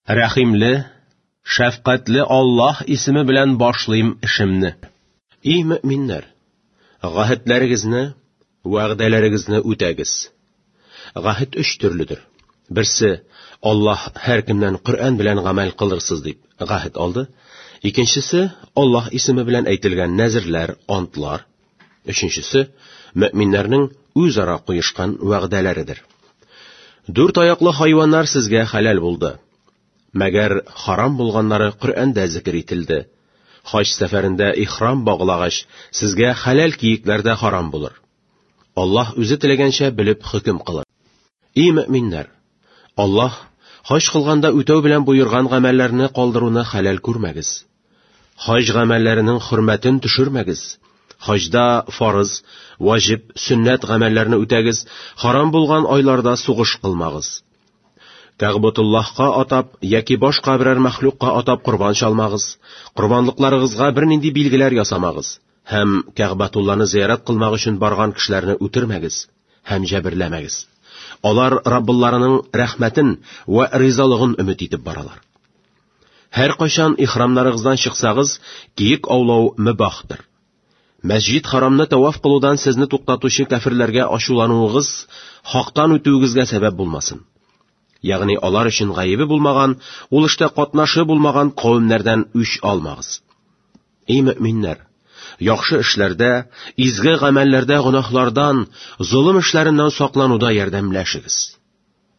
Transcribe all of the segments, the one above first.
Рәхимле, шәфкатьле Аллаһ исеме белән башлыйм эшемне. Ий мөэминнәр! Гаһедләрегезне, вәгъдәләрегезне үтәгез. Гаһед өч төрледер. Берсе, Аллаһ һәркемнән Коръән белән гамәл кылырсыз дип гаһед алды. Икенчесе, Аллаһ исеме белән әйтелгән нәзерләр, антлар. Өченчесе, мөэминнәрнең үзара куешкан вәгъдәләредер. Дүрт аяклы хайваннар сезгә хәләл булды. Мәгәр харам булганнары Коръәндә зикер ителде. Хаҗ сәфәрендә ихрам баглагач, сезгә хәләл киекләр дә харам булыр. Аллаһ үзе теләгәнчә белеп хөкем кылыр. Ий мөэминнәр! Аллаһ хаҗ кылганда үтәү белән боерган гамәлләрне калдыруны хәләл күрмәгез. Хаҗ гамәлләренең хөрмәтен төшермәгез. Хаҗда фарыз, ваҗиб, сөннәт гамәлләрне үтәгез, харам булган айларда сугыш кылмагыз. Кәгъбатуллаһка атап яки башка берәр мәхлукка атап корбан чалмагыз, корбанлыкларыгызга бернинди билгеләр ясамагыз һәм Кәгъбатулланы зиярат кылмак өчен барган кешеләрне үтермәгез һәм җәберләмәгез. Алар Раббыларының рәхмәтен вә ризалыгын өмет итеп баралар. Һәркайчан ихрамнарыгыздан чыксагыз, киек аулау мөбахтыр. Мәсҗид харамны тәваф кылудан сезне туктатучы кәферләргә ачулануыгыз хактан үтүегезгә сәбәп булмасын. Ягъни алар өчен гаебе булмаган, ул эштә катнашы булмаган кавемнәрдән үч алмагыз. Эй мөэминнәр! Яхшы эшләрдә, изге гамәлләрдә гөнаһлардан, золым эшләреннән саклануда ярдәмләшегез.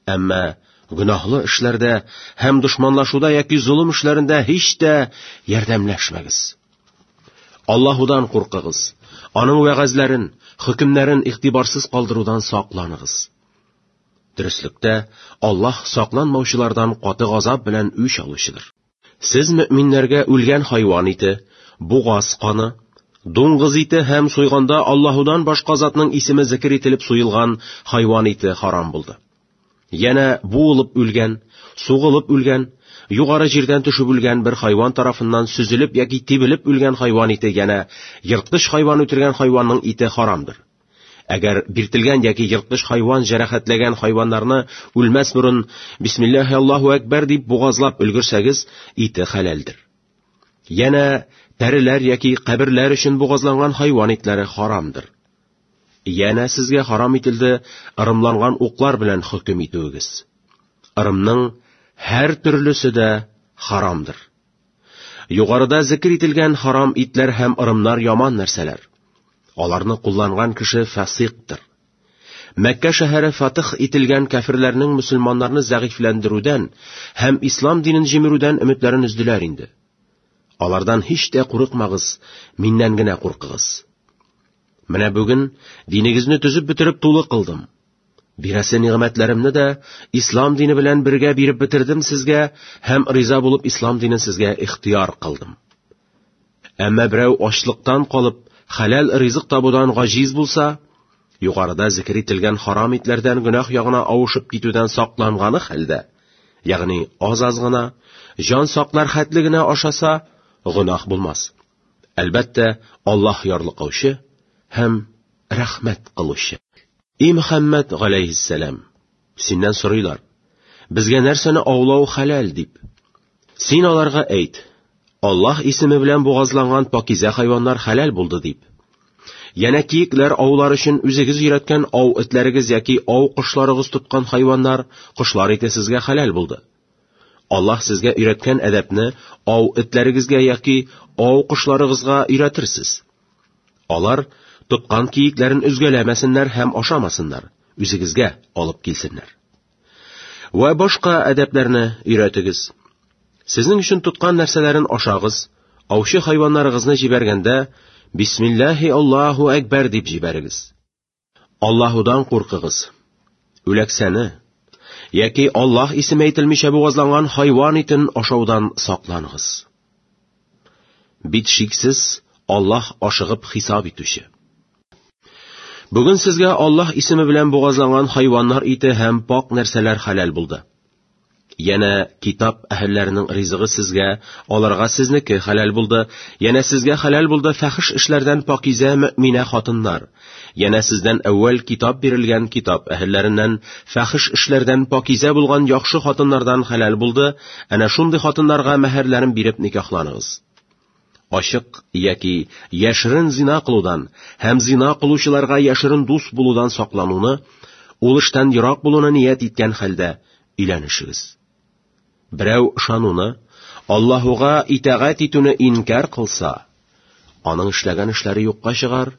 Әмма гөнаһлы эшләрдә һәм дошманлашуда яки золым эшләрендә һич тә ярдәмләшмәгез. Аллаһудан куркыгыз, аның вәгазьләрен, хөкемнәрен игътибарсыз калдырудан сакланыгыз. Дөреслектә, Аллаһ сакланмаучылардан каты газап белән үч алучыдыр. Сез мөэминнәргә үлгән хайван ите, бугаз каны, дуңгыз ите һәм суйганда Аллаһудан башка затның исеме зикер ителеп суелган хайван ите харам булды. Янә буылып үлгән, сугылып үлгән, югары җирдән төшеп үлгән бер хайван тарафыннан сөзелеп яки тибелеп үлгән хайван ите янә ерткыч хайван үтергән хайванның ите харамдыр. Әгәр биртелгән яки ерткыч хайван җәрәхәтләгән хайваннарны үлмәс борын Бисмиллаһи Аллаһу әкбәр дип бугазлап өлгерсәгез, ите хәләлдер. Янә тәреләр яки каберләр өчен бугазланган хайван итләре харамдыр. Янә сезгә харам ителде ырымланган уклар белән хөкем итүегез. Ырымның һәр төрлесе дә харамдыр. Югарыда зикер ителгән харам итләр һәм ырымнар яман нәрсәләр. Аларны кулланган кеше фасиктыр. Мәккә шәһәре фатих ителгән кәферләрнең мөселманнарны зәгыйфьләндерүдән һәм ислам динен җимерүдән өметләрен өзделәр инде. Алардан һич тә курыкмагыз, миннән генә куркыгыз. Менә бүген динегезне төзеп бетереп тулы кылдым. Бирәсе нигъмәтләремне дә ислам дине белән бергә биреп бетердем сезгә һәм риза булып ислам динен сезгә ихтыяр кылдым. Әмма берәү ачлыктан калып, хәләл ризык табудан гаҗиз булса, югарыда зикер ителгән харам итләрдән гөнаһ ягына авышып китүдән сакланганы хәлдә, ягъни аз-аз гына, җан саклар хәтле генә ашаса, гөнаһ булмас. Әлбәттә, Аллаһ ярлыкаучы һәм рәхмәт кылучы. И Мөхәммәд галәйһиссәлам, синнән сорыйлар, безгә нәрсәне аулау хәләл дип. Син аларга әйт, Аллаһ исеме белән бугазланган пакизә хайваннар хәләл булды дип. Янә киекләр аулар өчен үзегез өйрәткән ау этләрегез яки ау кошларыгыз тоткан хайваннар, кошлар ите сезгә хәләл булды. Аллаһ сезгә өйрәткән әдәпне ау этләрегезгә яки ау кошларыгызга өйрәтерсез. Алар тоткан киекләрен өзгәләмәсеннәр һәм ашамасыннар, үзегезгә алып килсеннәр. Вә башка әдәпләрне өйрәтегез. Сезнең өчен тоткан нәрсәләрен ашагыз, аучы хайваннарыгызны җибәргәндә, Бисмиллаһи Аллаһу әкбәр дип җибәрегез. Аллаһудан куркыгыз. Үләксәне яки Аллаһ исеме әйтелмичә бугазланган хайван итен ашаудан сакланыгыз. Бит шиксез Аллаһ ашыгып хисап итүче. Бүген сезгә Аллаһ исеме белән бугазланган хайваннар ите һәм пак нәрсәләр хәләл булды. Янә китап әһелләренең ризыгы сезгә, аларга сезнеке хәләл булды. Янә сезгә хәләл булды фәхиш эшләрдән пакизә мөэминә хатыннар. Янә сездән әүвәл китап бирелгән китап әһелләреннән фәхиш эшләрдән пакизә булган яхшы хатыннардан хәләл булды. Әнә шундый хатыннарга мәһәрләрен биреп никахланыгыз. Ачык яки яшерен зина кылудан һәм зина кылучыларга яшерен дус булудан саклануны, ул эштән ерак булуны ният иткән хәлдә өйләнешегез. Берәү ышануны, Аллаһуга итагать итүне инкяр кылса, аның эшләгән эшләре юкка чыгар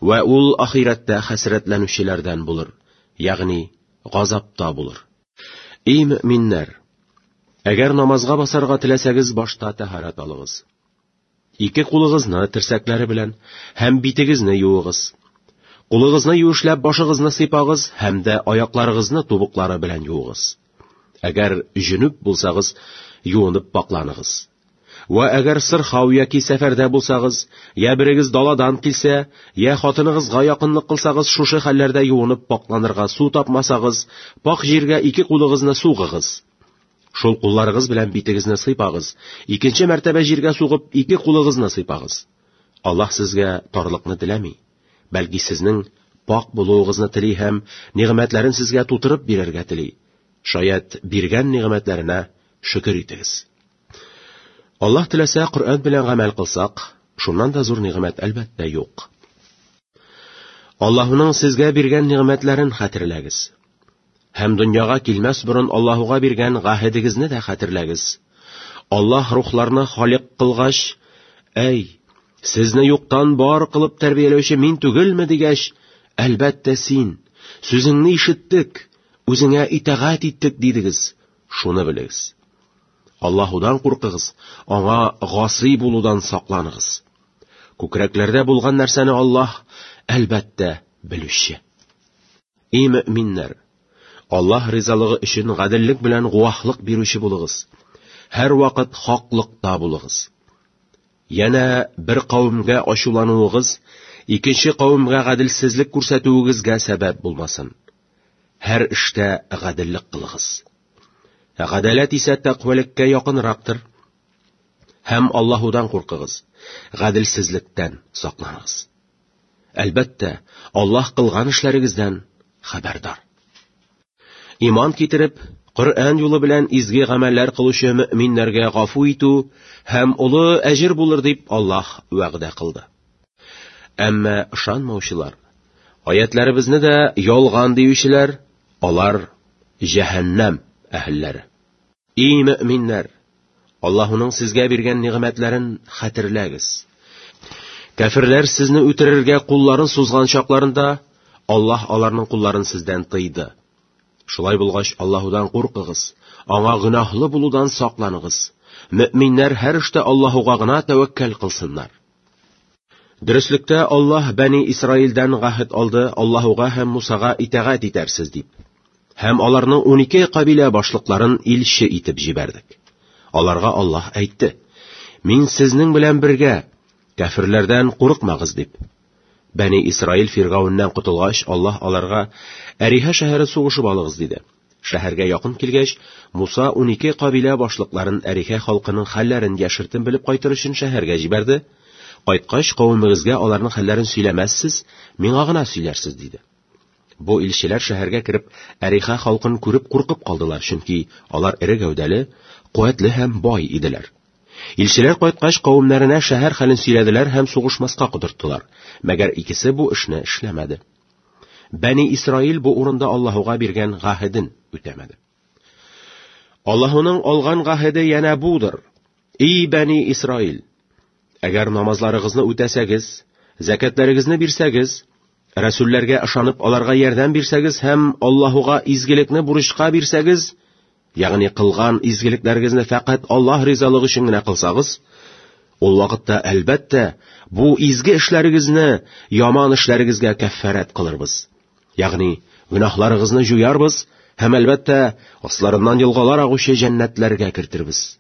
вә ул ахирәттә хәсрәтләнүчеләрдән булыр, ягъни газапта булыр. Эй мөэминнәр! Әгәр намазга басарга теләсәгез, башта тәһарәт алыгыз. Ике кулыгызны терсәкләре белән һәм битегезне юыгыз. Кулыгызны юешләп башыгызны сыйпагыз һәм дә аякларыгызны тубыклары белән юыгыз. Әгәр җөнүп булсагыз, юынып пакланыгыз. Вә әгәр сырхау яки сәфәрдә булсагыз, я берегез даладан килсә, я хатыныгызга якынлык кылсагыз, шушы хәлләрдә юынып пакланырга су тапмасагыз, пак җиргә ике кулыгызны сугыгыз. Шул кулларыгыз белән битегезне сыйпагыз, икенче мәртәбә җиргә сугып, ике кулыгызны сыйпагыз. Аллаһ сезгә тарлыкны теләми, бәлки сезнең пак булуыгызны тели һәм нигъмәтләрен сезгә тутырып бирергә тели. Шаять, биргән нигъмәтләренә шөкер итегез. Аллаһ теләсә, Коръән белән гамәл кылсак, шуннан да зур нигъмәт әлбәттә юк. Аллаһуның сезгә биргән нигъмәтләрен хәтерләгез. Һәм дөньяга килмәс борын Аллаһуга биргән гаһедегезне дә хәтерләгез. Аллаһ рухларны халик кылгач, әй, сезне юктан бар кылып тәрбияләүче мин түгелме дигәч, әлбәттә син, сүзеңне ишеттек, үзеңә итагать иттек дидегез. Шуны белегез. Аллаһудан куркыгыз, аңа гасый булудан сакланыгыз. Күкрәкләрдә булган нәрсәне Аллаһ, әлбәттә, белүче. Эй мөэминнәр! Аллаһ ризалыгы өчен гаделлек белән гуаһлык бирүче булыгыз. Һәрвакыт хаклыкта булыгыз. Янә бер кавемгә ачулануыгыз икенче кавемгә гаделсезлек күрсәтүегезгә сәбәп булмасын. Һәр эштә гаделлек кылыгыз. Гадәләт исә тәкъвәлеккә якынрактыр. Һәм Аллаһудан куркыгыз, гаделсезлектән сакланыгыз. Әлбәттә, Аллаһ кылган эшләрегездән хәбәрдар. Иман китереп, Коръән юлы белән изге гамәлләр кылучы мөэминнәргә гафу итү һәм олы әҗер булыр дип Аллаһ вәгъдә кылды. Әмма ышанмаучылар, аятләребезне дә ялган диючеләр, алар җәһәннәм әһелләре. Ий мөэминнәр! Аллаһуның сезгә биргән нигъмәтләрен хәтерләгез. Кәферләр сезне үтерергә кулларын сузган чакларында, Аллаһ аларның кулларын сездән тыйды. Шулай булгач, Аллаһудан куркыгыз, аңа гөнаһлы булудан сакланыгыз. Мөэминнәр һәр эштә Аллаһуга гына тәвәккәл кылсыннар. Дөреслектә Аллаһ Бәни Исраилдән гаһед алды, Аллаһуга һәм Мусага итагать итәрсез дип. Һәм аларның унике кабилә башлыкларын илче итеп җибәрдек. Аларга Аллаһ әйтте: Мин сезнең белән бергә, кәферләрдән курыкмагыз дип. Бәни Исраил Фиргауннан котылгач, Аллаһ аларга Әриһа шәһәрен сугышып алыгыз диде. Шәһәргә якын килгәч, Муса унике кабилә башлыкларын Әриһа халкының хәлләрен яшертен белеп кайтыр өчен шәһәргә җибәрде. Кайткач, кавемегезгә аларның хәлләрен сөйләмәссез, миңа гына сөйләрсез, диде. Бу илчеләр шәһәргә кереп, Әриха халкын күреп куркып калдылар, чөнки алар эре гәүдәле, куәтле һәм бай иделәр. Илчеләр кайткач, кавемнәренә шәһәр хәлен сөйләделәр һәм сугышмаска котырттылар. Мәгәр икесе бу эшне эшләмәде. Бәни Исраил бу урында Аллаһуга биргән гаһеден үтәмәде. Аллаһуның алган гаһеде янә будыр: Ий Бәни Исраил, әгәр намазларыгызны үтәсәгез, зәкәтләрегезне бирсәгез, рәсүлләргә ышанып аларга ярдәм бирсәгез һәм Аллаһуга изгелекне бурычка бирсәгез, ягъни кылган изгелекләрегезне фәкать Аллаһ ризалыгы өчен генә кылсагыз, ул вакытта, әлбәттә, бу изге эшләрегезне яман эшләрегезгә кәффарәт кылырбыз. Ягъни, гөнаһларыгызны җуярбыз һәм, әлбәттә, асларыннан елгалар агучы җәннәтләргә кертербез.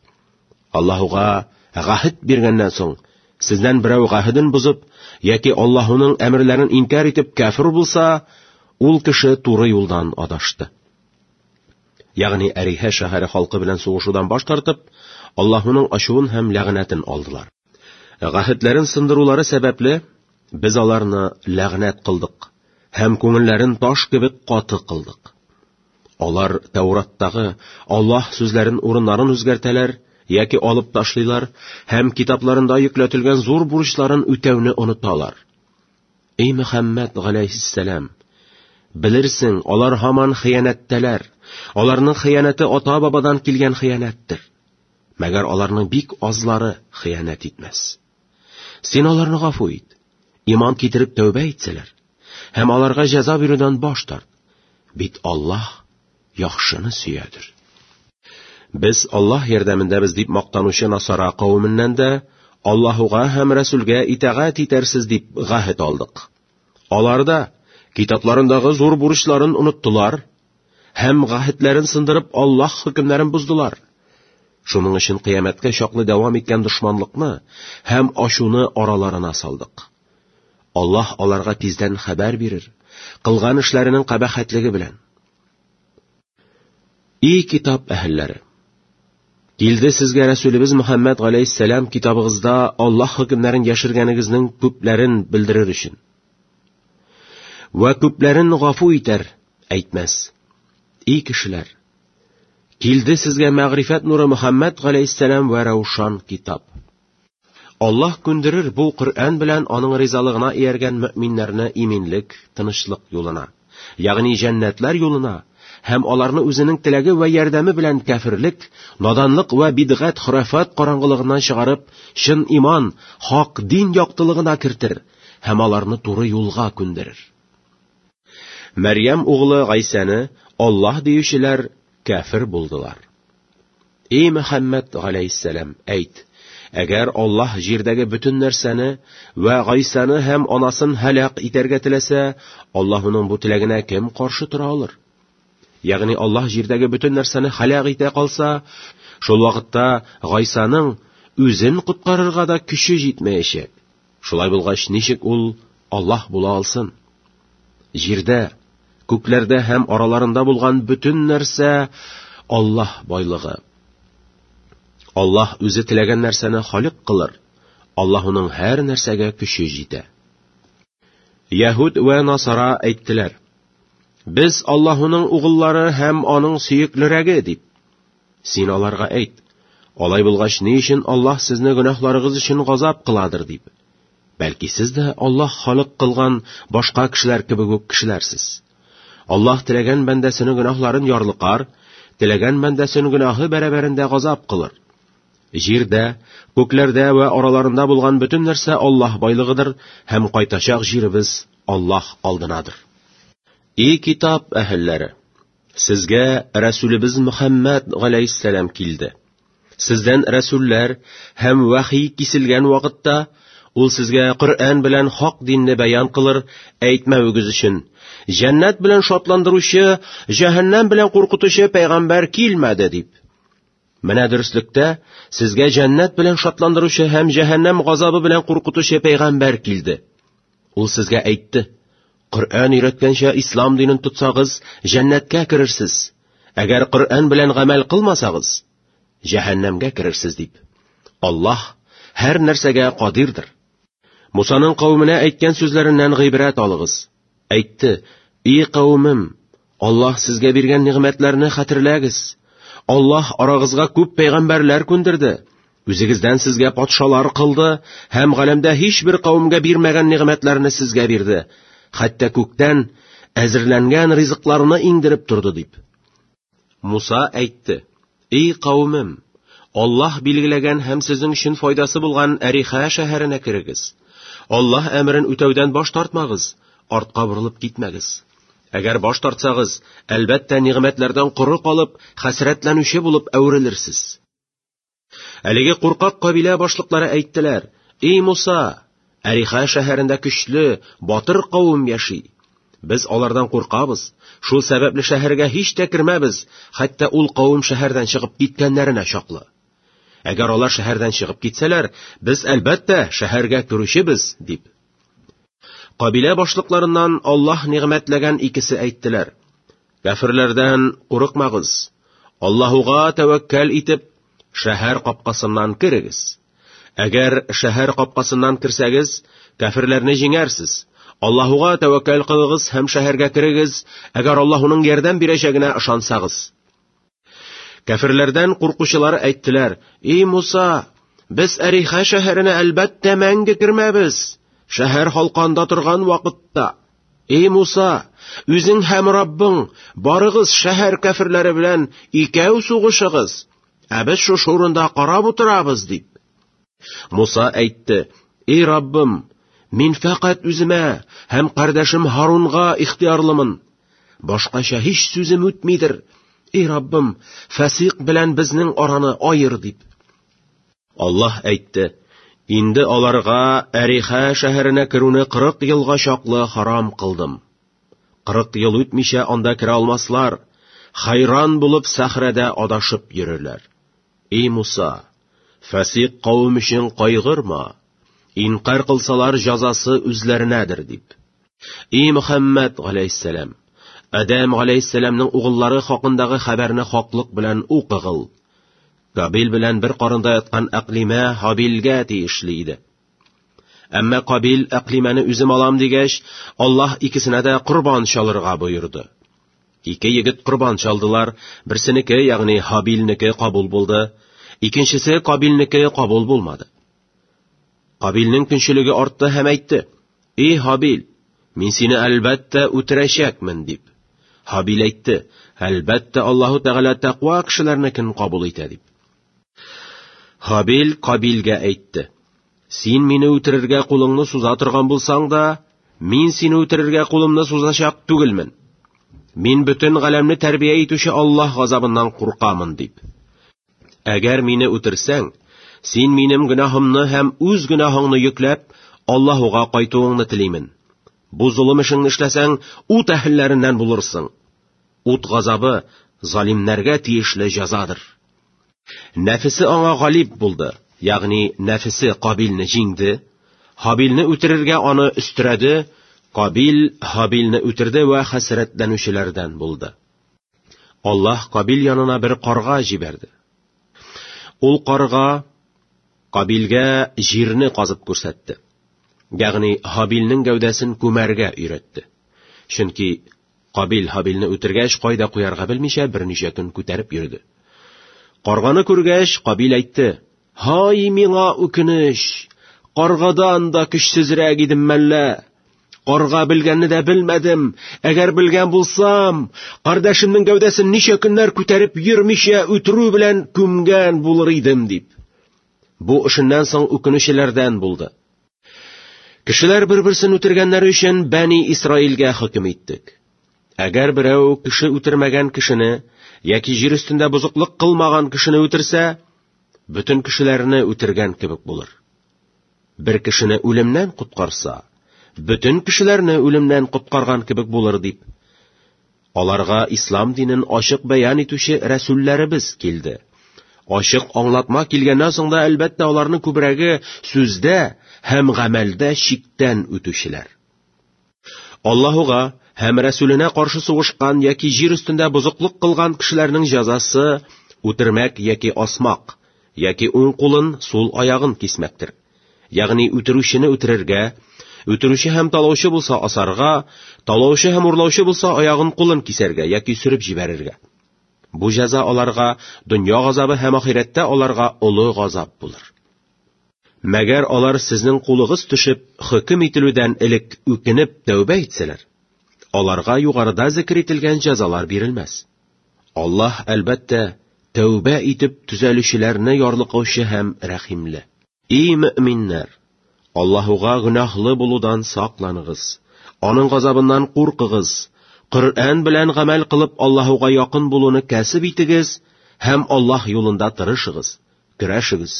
Аллаһуга гаһед биргәннән соң, сездән берәү гаһеден бозып яки Аллаһуның әмерләрен инкяр итеп кәфер булса, ул кеше туры юлдан адашты. ягъни Әриһә шәһәре халкы белән сугышудан баш тартып, Аллаһуның ачуын һәм ләгънәтен алдылар. Гаһедләрен сындырулары сәбәпле, без аларны ләгънәт кылдык һәм күңелләрен таш кебек каты кылдык. Алар Тәураттагы Аллаһ сүзләрен урыннарын үзгәртәләр яки алып ташлыйлар һәм китапларында йөкләтелгән зур бурычларын үтәүне оныталар. Эй Мөхәммәд галәйһиссәлам, белерсең, алар һаман хыянәттәләр. Аларның хыянәте ата-бабадан килгән хыянәттер. Мәгәр аларның бик азлары хыянәт итмәс. Син аларны гафу ит. Иман китереп тәүбә итсәләр һәм аларга җәза бирүдән баш тарт. Бит Аллаһ яхшыны сөядер. Без Аллаһ ярдәмендәбез дип мактанучы Насара кавеменнән дә Аллаһуга һәм Рәсүлгә итагать итәрсез дип гаһед алдык. Алар да китапларындагы зур бурычларын оныттылар һәм гаһедләрен сындырып Аллаһ хөкемнәрен боздылар. Шуның өчен кыямәткә чаклы дәвам иткән дошманлыкны һәм ачуны араларына салдык. Аллаһ аларга тиздән хәбәр бирер, кылган эшләренең кабахәтлеге белән. И китап әһелләре! Килде сезгә Рәсүлебез Мөхәммәд галәйһиссәлам китабыгызда Аллаһ хөкемнәрен яшергәнегезнең күпләрен белдерер өчен. Вә күпләрен гафу итәр, әйтмәс. И кешеләр! Килде сезгә мәгърифәт нуры Мөхәммәд галәйһиссәлам вә раушан китап. Аллаһ күндерер бу Коръән белән аның ризалыгына ияргән мөэминнәрне иминлек, тынычлык юлына, ягъни җәннәтләр юлына һәм аларны үзенең теләге вә ярдәме белән кәферлек, наданлык вә бидгать, хорафат караңгылыгыннан чыгарып, чын иман, хак дин яктылыгына кертер һәм аларны туры юлга күндерер. Мәрьям углы Гайсәне Аллаһ диючеләр кәфер булдылар. Эй Мөхәммәд галәйһиссәлам, әйт, әгәр Аллаһ җирдәге бөтен нәрсәне вә Гайсаны һәм анасын һәлак итәргә теләсә, Аллаһуның бу теләгенә кем каршы тора алыр? Ягъни Аллаһ җирдәге бөтен нәрсәне һәлак итә калса, шул вакытта Гайсаның үзен коткарырга да көче җитмәячәк. Шулай булгач, ничек ул Аллаһ була алсын? Җирдә, күкләрдә һәм араларында булган бөтен нәрсә Аллаһ байлыгы. Аллаһ үзе теләгән нәрсәне халык кылыр. Аллаһуның һәр нәрсәгә көче җитә. Яһүд вә Насара әйттеләр: Без Аллаһуның угыллары һәм аның сөеклерәге дип. Син аларга әйт: Алай булгач, ни өчен Аллаһ сезне гөнаһларыгыз өчен газап кыладыр дип? Бәлки сез дә Аллаһ халык кылган башка кешеләр кебек үк кешеләрсез. Аллаһ теләгән бәндәсенең гөнаһларын ярлыкар, теләгән бәндәсен гөнаһы бәрабәрендә газап кылыр. Җирдә, күкләрдә вә араларында булган бөтен нәрсә Аллаһ байлыгыдыр һәм кайтачак җиребез Аллаһ алдынадыр. И китап әһелләре! Сезгә Рәсүлебез Мөхәммәд галәйһиссәлам килде. Сездән рәсүлләр һәм вәхи киселгән вакытта ул сезгә Коръән белән хак динне бәян кылыр, әйтмәвегез өчен. Җәннәт белән шатландыручы, җәһәннәм белән куркытучы пәйгамбәр килмәде дип. Менә дөреслектә сезгә җәннәт белән шатландыручы һәм җәһәннәм газабы белән куркытучы пәйгамбәр килде. Ул сезгә әйтте: Коръән өйрәткәнчә ислам динен тотсагыз, җәннәткә керерсез. Әгәр Коръән белән гамәл кылмасагыз, җәһәннәмгә керерсез дип. Аллаһ һәр нәрсәгә кадирдыр. Мусаның кавеменә әйткән сүзләреннән гыйбрәт алыгыз. Әйтте: "И кавемем, Аллаһ сезгә биргән нигъмәтләрне хәтерләгез. Аллаһ арагызга күп пәйгамбәрләр күндерде. Үзегездән сезгә патшалар кылды һәм галәмдә һичбер кавемгә бирмәгән нигъмәтләрне сезгә бирде. Хәтта күктән әзерләнгән ризыкларны иңдереп торды дип. Муса әйтте: "Эй кавемем, Аллаһ билгеләгән һәм сезнең өчен файдасы булган Әриха шәһәренә керегез. Аллаһ әмерен үтәүдән баш тартмагыз, артка борылып китмәгез. Әгәр баш тартсагыз, әлбәттә, нигъмәтләрдән коры калып, хәсрәтләнүче булып әверелерсез. Әлеге куркак кабилә башлыклары әйттеләр: "Эй Муса, Әриха шәһәрендә көчле, батыр кавым яши. Без алардан куркабыз. Шул сәбәпле шәһәргә һич тә кермәбез, хәтта ул кавым шәһәрдән чыгып киткәннәренә чаклы. Әгәр алар шәһәрдән чыгып китсәләр, без әлбәттә шәһәргә керүчебез, дип. Кабилә башлыкларыннан Аллаһ нигъмәтләгән икесе әйттеләр: Кәферләрдән курыкмагыз. Аллаһуга тәвәккәл итеп, шәһәр капкасыннан керегез. Әгәр шәһәр капкасыннан керсәгез, кәферләрне җиңәрсез. Аллаһуга тәвәккәл кылыгыз һәм шәһәргә керегез, әгәр Аллаһуның ярдәм бирәчәгенә ышансагыз. Кәферләрдән куркучылар әйттеләр: "И Муса, без Әриха шәһәренә әлбәттә мәңге кермәбез. Шәһәр халкы анда торган вакытта. Эй Муса, үзең һәм Раббың барыгыз шәһәр кәферләре белән икәү сугышыгыз, ә без шушы урында карап утырабыз, дип. Муса әйтте: Эй Раббым, мин фәкать үземә һәм кардәшем Һарунга ихтыярлымын. Башкача һич сүзем үтмидер. Эй Раббым, фәсыйк белән безнең араны аер, дип. Аллаһ әйтте: Инде аларга Әриха шәһәренә керүне 40 елга чаклы харам кылдым. 40 ел үтмичә анда керә алмаслар, хайран булып сәхрәдә адашып йөрерләр. Эй Муса, фәсыйк кавем өчен кайгырма, инкар кылсалар җазасы үзләренәдер, дип. Эй Мөхәммәд галәйһиссәлам, Адәм галәйһиссәламның угыллары хакындагы хәбәрне хаклык белән укыгыл. Кабил белән бер карында яткан Әкълимә Һабилгә тиешле иде. Әмма Кабил Әкълимәне үзем алам дигәч, Аллаһ икесенә дә корбан чалырга боерды. Ике егет корбан чалдылар, берсенеке, ягъни Һабилнеке кабул булды, икенчесе Кабилнеке кабул булмады. Кабилнең көнчелеге артты һәм әйтте: "Эй Һабил, мин сине әлбәттә үтерәчәкмен", дип. Һабил әйтте: "Әлбәттә Аллаһу Тәгалә тәкъва кешеләрнекен кабул итә", дип. Һабил Кабилгә әйтте: "Син мине үтерергә кулыңны суза торган булсаң да, мин сине үтерергә кулымны сузачак түгелмен. Мин бөтен галәмне тәрбия итүче Аллаһ газабыннан куркамын", дип. Әгәр мине үтерсәң, син минем гөнаһымны һәм үз гөнаһыңны йөкләп, Аллаһуга кайтуыңны телимен. Бу золым эшеңне эшләсәң, ут әһелләреннән булырсың. Ут газабы залимнәргә тиешле җәзадыр. Нәфесе аңа галиб булды, ягъни нәфесе Кабилне җиңде, Һабилне үтерергә аны өстерәде, Кабил Һабилне үтерде вә хәсрәтләнүчеләрдән булды. Аллаһ Кабил янына бер карга җибәрде. Ул карга Кабилгә җирне казып күрсәтте. Ягъни Һабилнең гәүдәсен күмәргә өйрәтте. Чөнки Кабил Һабилне үтергәч, кайда куярга белмичә берничә көн күтәреп йөрде. Карганы күргәч, Кабил әйтте: Һай, миңа үкенеч! Каргадан да көчсезрәк идем мәллә? Карга белгәнне дә белмәдем. Әгәр белгән булсам, кардәшемнең гәүдәсен ничә көннәр күтәреп йөрмичә үтерү белән күмгән булыр идем, дип. Бу эшеннән соң үкенүчеләрдән булды. Кешеләр бер-берсен үтергәннәре өчен Бәни Исраилгә хөкем иттек. Әгәр берәү кеше үтермәгән кешене яки җир өстендә бозыклык кылмаган кешене үтерсә, бөтен кешеләрне үтергән кебек булыр. Бер кешене үлемнән коткарса, бөтен кешеләрне үлемнән коткарган кебек булыр, дип. Аларга ислам динен ачык бәян итүче рәсүлләребез килде. Ачык аңлатма килгәннән соң да, әлбәттә, аларның күбрәге сүздә һәм гамәлдә чиктән үтүчеләр. Аллаһуга һәм Рәсүленә каршы сугышкан яки җир өстендә бозыклык кылган кешеләрнең җәзасы үтермәк яки асмак, яки уң кулын, сул аягын кисмәктер. Ягъни үтерүчене үтерергә, үтерүче һәм талаучы булса асарга, талаучы һәм урлаучы булса аягын кулын кисәргә яки сөреп җибәрергә. Бу җәза аларга дөнья газабы һәм ахирәттә аларга олы газап булыр. Мәгәр алар сезнең кулыгыз төшеп, хөкем ителүдән элек үкенеп тәүбә итсәләр, аларга югарыда зикер ителгән җәзалар бирелмәс. Аллаһ, әлбәттә, тәүбә итеп төзәлүчеләрне ярлыкаучы һәм рәхимле. Ий мөэминнәр! Аллаһуга гөнаһлы булудан сакланыгыз, Аның газабыннан куркыгыз, Коръән белән гамәл кылып Аллаһуга якын булуны кәсеп итегез һәм Аллаһ юлында тырышыгыз, көрәшегез,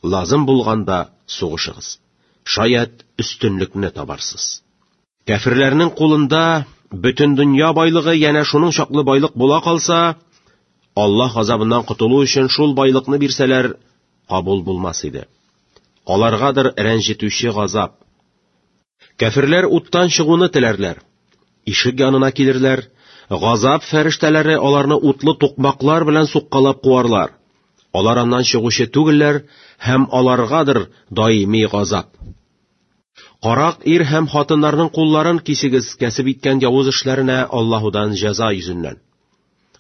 лазым булганда сугышыгыз. Шаять, өстенлекне табарсыз. Кәферләрнең кулында бөтен дөнья байлыгы янә шуның чаклы байлык була калса, Аллаһ газабыннан котылу өчен шул байлыкны бирсәләр, кабул булмас иде. Аларгадыр рәнҗетүче газап. Кәферләр уттан чыгуны теләрләр. Ишек янына килерләр. Газап фәрештәләре аларны утлы тукмаклар белән суккалап куарлар. Алар аннан чыгучы түгелләр һәм аларгадыр даими газап. Карак ир һәм хатыннарның кулларын кисегез кәсеп иткән явыз эшләренә Аллаһудан җәза йөзеннән.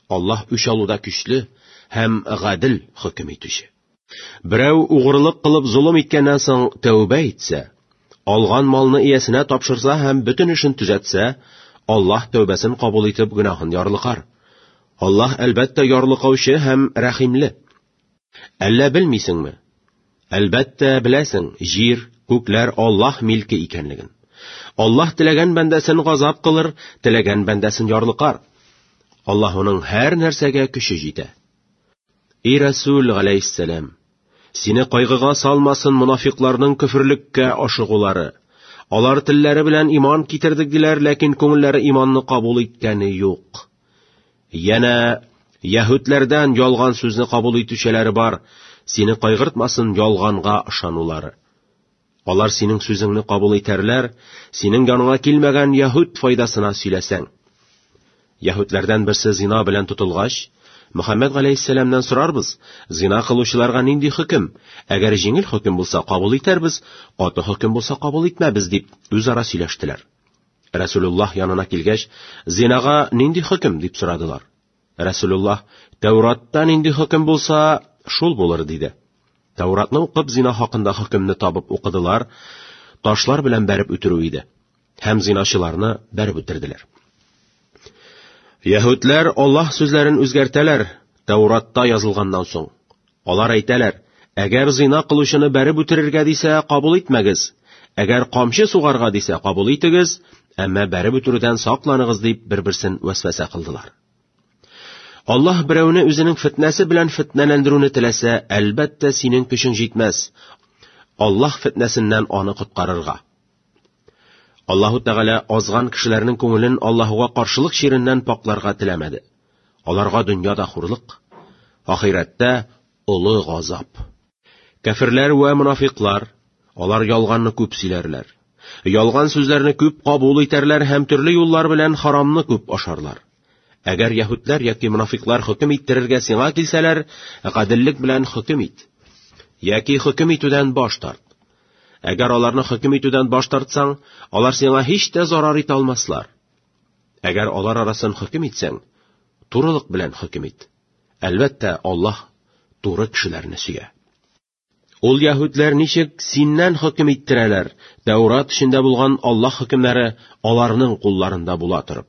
Аллаһ үч алуда көчле һәм гадел хөкем итүче. Берәү угрылык кылып золым иткәннән соң тәүбә итсә, алган малны иясенә тапшырса һәм бөтен эшен төзәтсә, Аллаһ тәүбәсен кабул итеп гөнаһын ярлыкар. Аллаһ әлбәттә ярлыкаучы һәм рәхимле. Әллә белмисеңме? Әлбәттә беләсең, җир, күкләр Аллаһ милке икәнлеген. Аллаһ теләгән бәндәсен газап кылыр, теләгән бәндәсен ярлыкар. Аллаһуның һәр нәрсәгә көче җитә. Эй Рәсүл галәйһиссәлам, сине кайгыга салмасын монафикларның көферлеккә ашыгулары. Алар телләре белән иман китердек диләр, ләкин күңелләре иманны кабул иткәне юк. Янә яһүдләрдән ялган сүзне кабул итүчеләре бар, сине кайгыртмасын ялганга ышанулары. Алар синең сүзеңне кабул итәрләр, синең яныңа килмәгән яһүд файдасына сөйләсәң. Яһүдләрдән берсе зина белән тотылгач, Мөхәммәд галәйһиссәламнән сорарбыз, зина кылучыларга нинди хөкем? Әгәр җиңел хөкем булса, кабул итәрбез, каты хөкем булса, кабул итмәбез, дип үзара сөйләштеләр. Рәсүлуллаһ янына килгәч, зинага нинди хөкем, дип сорадылар. Рәсүлуллаһ, Тәүратта нинди хөкем булса, шул булыр, диде. Тәүратны укып, зина хакында хөкемне табып укыдылар, ташлар белән бәреп үтерү иде. Һәм зиначыларны бәреп үтерделәр. Яһүдләр Аллаһ сүзләрен үзгәртәләр, Тәүратта язылганнан соң. Алар әйтәләр, әгәр зина кылучыны бәреп үтерергә дисә, кабул итмәгез. Әгәр камчы сугарга дисә, кабул итегез, әмма бәреп үтерүдән сакланыгыз дип бер-берсен вәсвәсә кылдылар. Аллаһ берәүне үзенең фетнәсе белән фетнәләндерүне теләсә, әлбәттә, синең көчең җитмәс. Аллаһ фетнәсеннән аны коткарырга. Аллаһу Тәгалә азган кешеләрнең күңелен Аллаһуга каршылык чиреннән пакларга теләмәде. Аларга дөньяда хурлык, ахирәттә олы газап. Кәферләр вә монафиклар, алар ялганны күп сөйләрләр. Ялган сүзләрне күп кабул итәрләр һәм төрле юллар белән харамны күп ашарлар. Әгәр яһүдләр яки монафиклар хөкем иттерергә сиңа килсәләр, гаделлек белән хөкем ит. Яки хөкем итүдән баш тарт. Әгәр аларны хөкем итүдән баш тартсаң, алар сиңа һич тә зарар итә алмаслар. Әгәр алар арасын хөкем итсәң, турылык белән хөкем ит. Әлбәттә, Аллаһ туры кешеләрне сөя. Ул яһүдләр ничек синнән хөкем иттерәләр, Тәүрат эчендә булган Аллаһ хөкемнәре аларның кулларында була торып.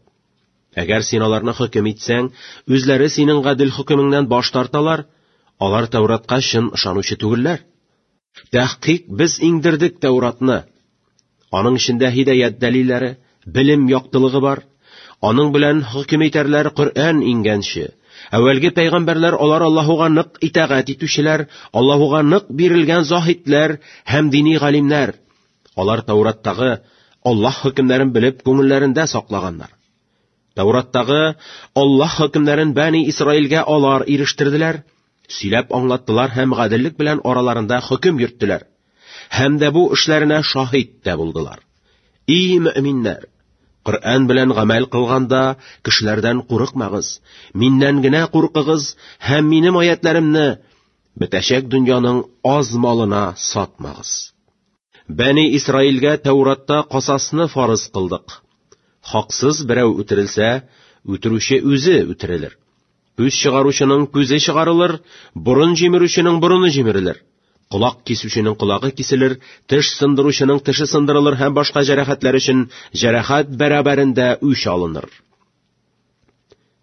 Әгәр син аларны хөкем итсәң, үзләре синең гадел хөкемеңнән баш тарталар, алар Тәүратка чын ышанучы түгелләр. Тәхкыйк без иңдердек Тәүратны. Аның эчендә һидаят дәлилләре, белем яктылыгы бар. Аның белән хөкем итәрләр Коръән иңгәнче. Әүвәлге пәйгамбәрләр алар Аллаһуга нык итагать итүчеләр, Аллаһуга нык бирелгән заһидләр һәм дини галимнәр. Алар Тәүраттагы Аллаһ хөкемнәрен белеп күңелләрендә саклаганнар. Тәүраттагы Аллаһ хөкемнәрен Бәни Исраилгә алар ирештерделәр, сөйләп аңлаттылар һәм гаделлек белән араларында хөкем йөрттеләр. Һәм дә бу эшләренә шаһит тә булдылар. И мөэминнәр! Коръән белән гамәл кылганда кешеләрдән курыкмагыз, миннән генә куркыгыз һәм минем аятләремне бетәчәк дөньяның аз малына сатмагыз. Бәни Исраилгә Тәүратта касасны фарыз кылдык. Хаксыз берәү үтерелсә, үтерүче үзе үтерелер. Күз чыгаручының күзе чыгарылыр, борын җимерүченең борыны җимерелер. Колак кисүченең колагы киселер, теш сындыручының теше сындырылыр һәм башка җәрәхәтләр өчен җәрәхәт бәрабәрендә үч алыныр.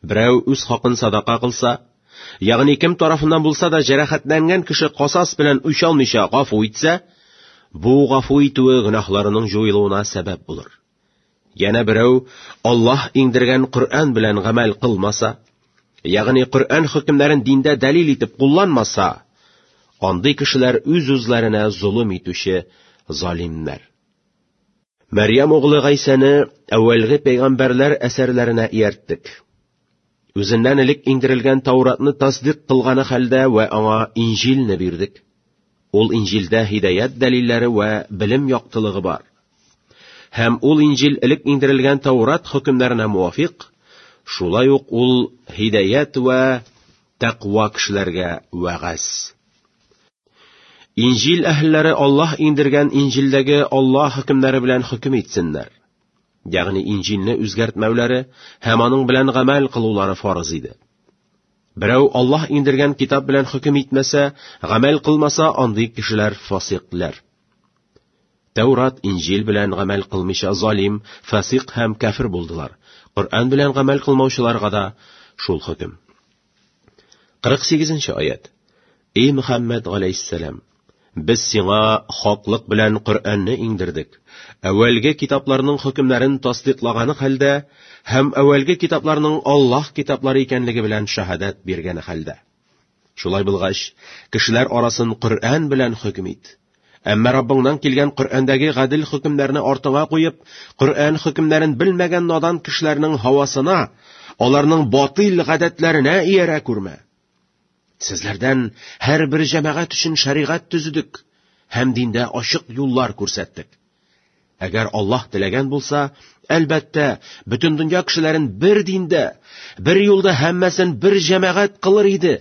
Берәү үз хакын садака кылса, ягъни кем тарафыннан булса да җәрәхәтләнгән кеше касас белән үч алмыйча гафу итсә, бу гафу итүе гөнаһларының җуелуына сәбәп булыр. Янә берәү Аллаһ иңдергән Коръән белән гамәл кылмаса, ягъни Коръән хөкемнәрен диндә дәлил итеп кулланмаса, андый кешеләр үз-үзләренә золым итүче залимнәр. Мәрьям углы Гайсәне әүвәлге пәйгамбәрләр әсәрләренә иярттек. Үзеннән элек иңдерелгән Тауратны тасдыйк кылганы хәлдә вә аңа Инҗилне бирдек. Ул Инҗилдә һидаят дәлилләре вә белем яктылыгы бар. Һәм ул Инҗил элек иңдерелгән Таурат хөкемнәренә муафикъ, Шулай ук ул һидаять вә тәкъва кешеләргә вәгазь. Инҗил әһелләре Аллаһ иңдергән Инҗилдәге Аллаһ хөкемнәре белән хөкем итсеннәр. Ягъни Инҗилне үзгәртмәүләре һәм аның белән гамәл кылулары фарыз иде. Берәү Аллаһ иңдергән китап белән хөкем итмәсә, гамәл кылмаса, андый кешеләр фасикләр. Тәүрат, Инҗил белән гамәл кылмыйча залим, фасик һәм кәфер булдылар. Коръән белән гамәл кылмаучыларга да шул хөкем. 48 нче аять. Эй Мөхәммәд галәйһиссәлам, без сиңа хаклык белән Коръәнне иңдердек. Әүвәлге китапларның хөкемнәрен тасдыйклаганы хәлдә һәм әүвәлге китапларның Аллаһ китаплары икәнлеге белән шаһадәт биргәне хәлдә. Шулай булгач, кешеләр арасын Коръән белән хөкем ит. Әмма Раббыңнан килгән Коръәндәге гадел хөкемнәрне артыңа куеп, Коръән хөкемнәрен белмәгән надан кешеләрнең һавасына, аларның батыйл гадәтләренә иярә күрмә. Сезләрдән һәрбер җәмәгать өчен шәригать төзедек һәм диндә ачык юллар күрсәттек. Әгәр Аллаһ теләгән булса, әлбәттә, бөтен дөнья кешеләрен бер диндә, бер юлда һәммәсен бер җәмәгать кылыр иде.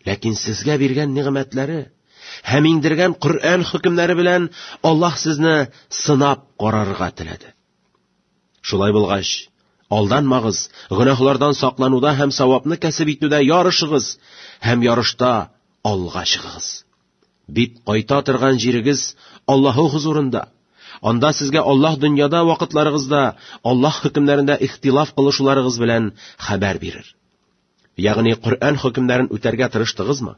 Ләкин сезгә биргән нигъмәтләре һәм иңдергән Коръән хөкемнәре белән Аллаһ сезне сынап карарга теләде. Шулай булгач, алданмагыз, гөнаһлардан саклануда һәм савапны кәсеп итүдә ярышыгыз һәм ярышта алга чыгыгыз. Бит кайта торган җирегез Аллаһу хозурында. Анда сезгә Аллаһ дөньяда вакытларыгызда Аллаһ хөкемнәрендә ихтилаф кылышуларыгыз белән хәбәр бирер. Ягъни Коръән хөкемнәрен үтәргә тырыштыгызмы?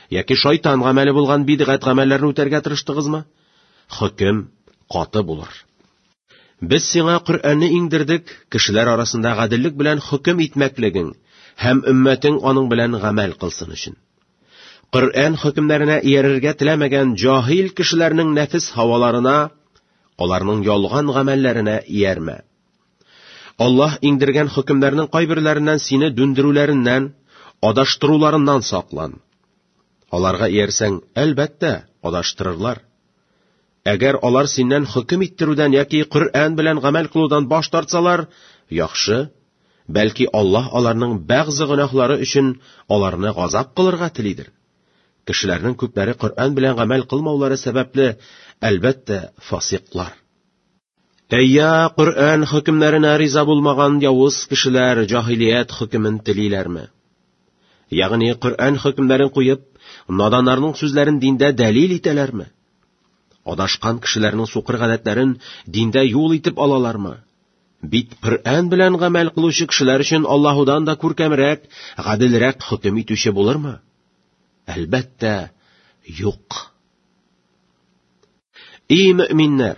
Яки шайтан гамәле булган бидгать гамәлләрен үтәргә тырыштыгызмы? Хөкем каты булыр. Без сиңа Коръәнне иңдердек, кешеләр арасында гаделлек белән хөкем итмәклегең һәм өммәтең аның белән гамәл кылсын өчен. Коръән хөкемнәренә иярергә теләмәгән җаһил кешеләрнең нәфес һаваларына, аларның ялган гамәлләренә иярмә. Аллаһ иңдергән хөкемнәрнең кайберләреннән сине дүндерүләреннән, адаштыруларыннан саклан. Аларга иярсәң, әлбәттә, адаштырырлар. Әгәр алар синнән хөкем иттерүдән яки Коръән белән гамәл кылудан баш тартсалар, яхшы, бәлки Аллаһ аларның бәгъзе гөнаһлары өчен аларны газап кылырга телидер. Кешеләрнең күпләре Коръән белән гамәл кылмаулары сәбәпле, әлбәттә, фасиклар. Әйя, Коръән хөкемнәренә риза булмаган явыз кешеләр җаһилият хөкемен телиләрме? Ягъни Коръән хөкемнәрен куеп, наданнарның сүзләрен диндә дәлил итәләрме? Адашкан кешеләрнең сукыр гадәтләрен диндә юл итеп алалармы? Бит Коръән белән гамәл кылучы кешеләр өчен Аллаһудан да күркәмрәк, гаделрәк хөкем итүче булырмы? Әлбәттә, юк. И мөэминнәр!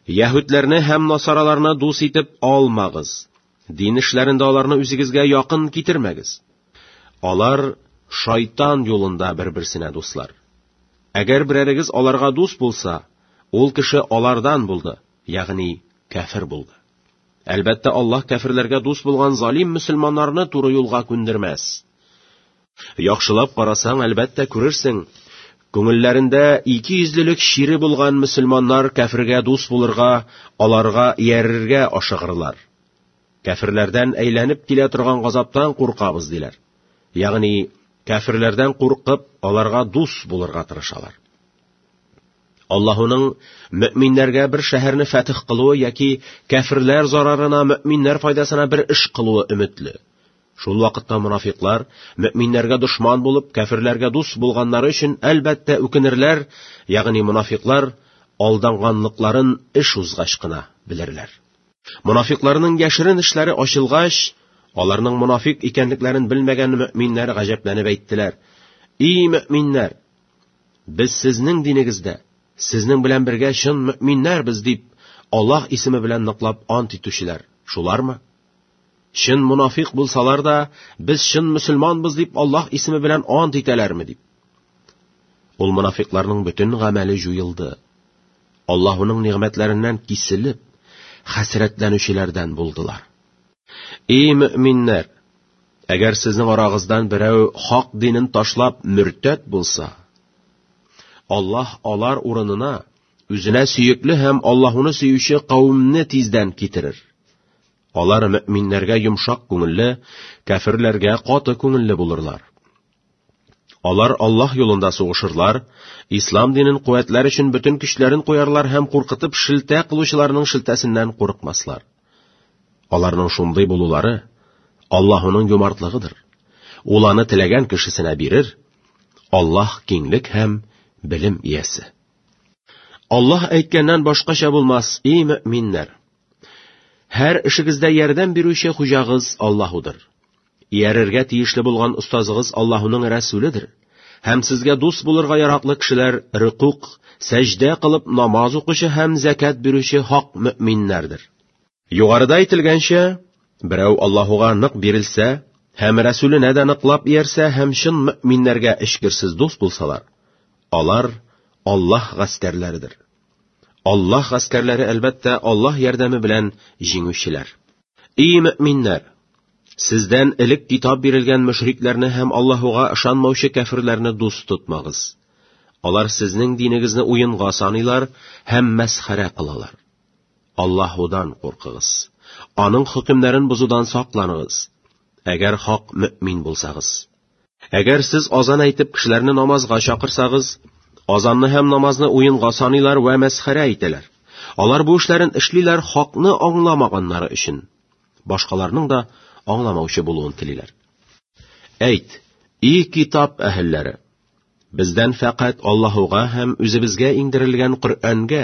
Яһүдләрне һәм насараларны дус итеп алмагыз. Дин эшләрендә аларны үзегезгә якын китермәгез. Алар шайтан юлында бер-берсенә дуслар. Әгәр берәрегез аларга дус булса, ул кеше алардан булды, ягъни кәфер булды. Әлбәттә, Аллаһ кәферләргә дус булган залим мөселманнарны туры юлга күндермәс. Яхшылап карасаң, әлбәттә, күрерсең, күңелләрендә икейөзлелек чире булган мөселманнар кәфергә дус булырга, аларга иярергә ашыгырлар. Кәферләрдән әйләнеп килә торган газаптан куркабыз, диләр. Ягъни, кәферләрдән куркып, аларга дус булырга тырышалар. Аллаһуның мөэминнәргә бер шәһәрне фәтех кылуы яки кәферләр зарарына мөэминнәр файдасына бер эш кылуы өметле. Шул вакытта монафиклар, мөэминнәргә дошман булып, кәферләргә дус булганнары өчен, әлбәттә, үкенерләр, ягъни монафиклар алданганлыкларын эш узгач кына белерләр. Монафикларның яшерен эшләре ачылгач, аларның монафик икәнлекләрен белмәгән мөэминнәр гаҗәпләнеп әйттеләр: "И мөэминнәр, без сезнең динегездә, сезнең белән бергә чын мөэминнәрбез", дип, Аллаһ исеме белән ныклап ант итүчеләр шулармы? Чын монафик булсалар да, без чын мөселманбыз дип Аллаһ исеме белән ант итәләрме дип. Ул монафикларның бөтен гамәле җуелды. Аллаһуның нигъмәтләреннән киселеп, хәсрәтләнүчеләрдән булдылар. Эй мөэминнәр, әгәр сезнең арагыздан берәү хак динен ташлап мөртәт булса, Аллаһ алар урынына үзенә сөекле һәм Аллаһуны сөюче кавемне тиздән китерер. Алар мөэминнәргә йомшак күңелле, кәферләргә каты күңелле булырлар. Алар Аллаһ юлында сугышырлар, ислам динен куәтләр өчен бөтен көчләрен куярлар һәм куркытып шелтә кылучыларның шелтәсеннән курыкмаслар. Аларның шундый булулары Аллаһуның юмартлыгыдыр. Ул аны теләгән кешесенә бирер. Аллаһ киңлек һәм белем иясе. Аллаһ әйткәннән башкача булмас, ий мөэминнәр! Һәр эшегездә ярдәм бирүче хуҗагыз Аллаһудыр. Иярергә тиешле булган остазыгыз Аллаһуның рәсүледер. Һәм сезгә дус булырга яраклы кешеләр рөкук, сәҗдә кылып намаз укучы һәм зәкят бирүче хак мөэминнәрдер. Югарыда әйтелгәнчә, берәү Аллаһуга нык бирелсә һәм Рәсүленә дә ныклап иярсә һәм чын мөэминнәргә эчкерсез дус булсалар, алар Аллаһ гаскәрләредер. Аллаһ гаскәрләре, әлбәттә, Аллаһ ярдәме белән җиңүчеләр. Ий мөэминнәр! Сездән элек китап бирелгән мөшрикләрне һәм Аллаһуга ышанмаучы кәферләрне дус тотмагыз. Алар сезнең динегезне уенга саныйлар һәм мәсхәрә кылалар. Аллаһудан куркыгыз. Аның хөкемнәрен бозудан сакланыгыз, әгәр хак мөэмин булсагыз. Әгәр сез азан әйтеп кешеләрне намазга чакырсагыз, азанны һәм намазны уенга саныйлар вә мәсхәрә итәләр. Алар бу эшләрен эшлиләр хакны аңламаганнары өчен. Башкаларның да аңламаучы булуын телиләр. Әйт, и китап әһелләре! Бездән фәкать Аллаһуга һәм үзебезгә иңдерелгән Коръәнгә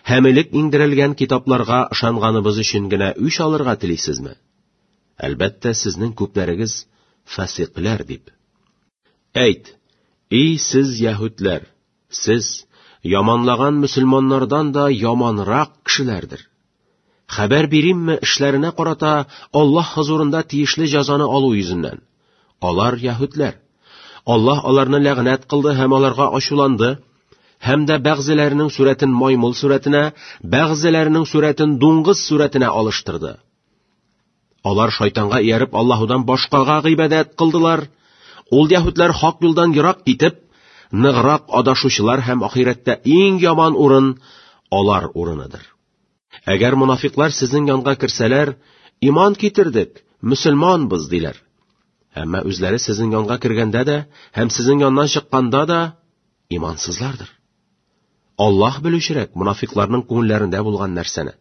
һәм элек иңдерелгән китапларга ышанганыбыз өчен генә үч алырга телисезме? Әлбәттә, сезнең күпләрегез фасикъләр дип. Әйт, ий сез яһүдләр, сез яманлаган мөселманнардан да яманрак кешеләрдер. Хәбәр биримме эшләренә карата Аллаһ хозурында тиешле җәзаны алу йөзеннән? Алар яһүдләр. Аллаһ аларны ләгънәт кылды һәм аларга ачуланды, һәм дә бәгъзеләренең сурәтен маймыл сурәтенә, бәгъзеләренең сурәтен дуңгыз сурәтенә алыштырды. Алар шайтанга ияреп Аллаһудан башкага гыйбадәт кылдылар. Ул яһүдләр хак юлдан ерак китеп, ныграк адашучылар һәм ахирәттә иң яман урын алар урыныдыр. Әгәр монафиклар сезнең янга керсәләр, иман китердек, мөселманбыз, диләр. Әмма үзләре сезнең янга кергәндә дә һәм сезнең яннан чыкканда да имансызлардыр. Аллаһ белүчерәк монафикларның күңелләрендә булган нәрсәне.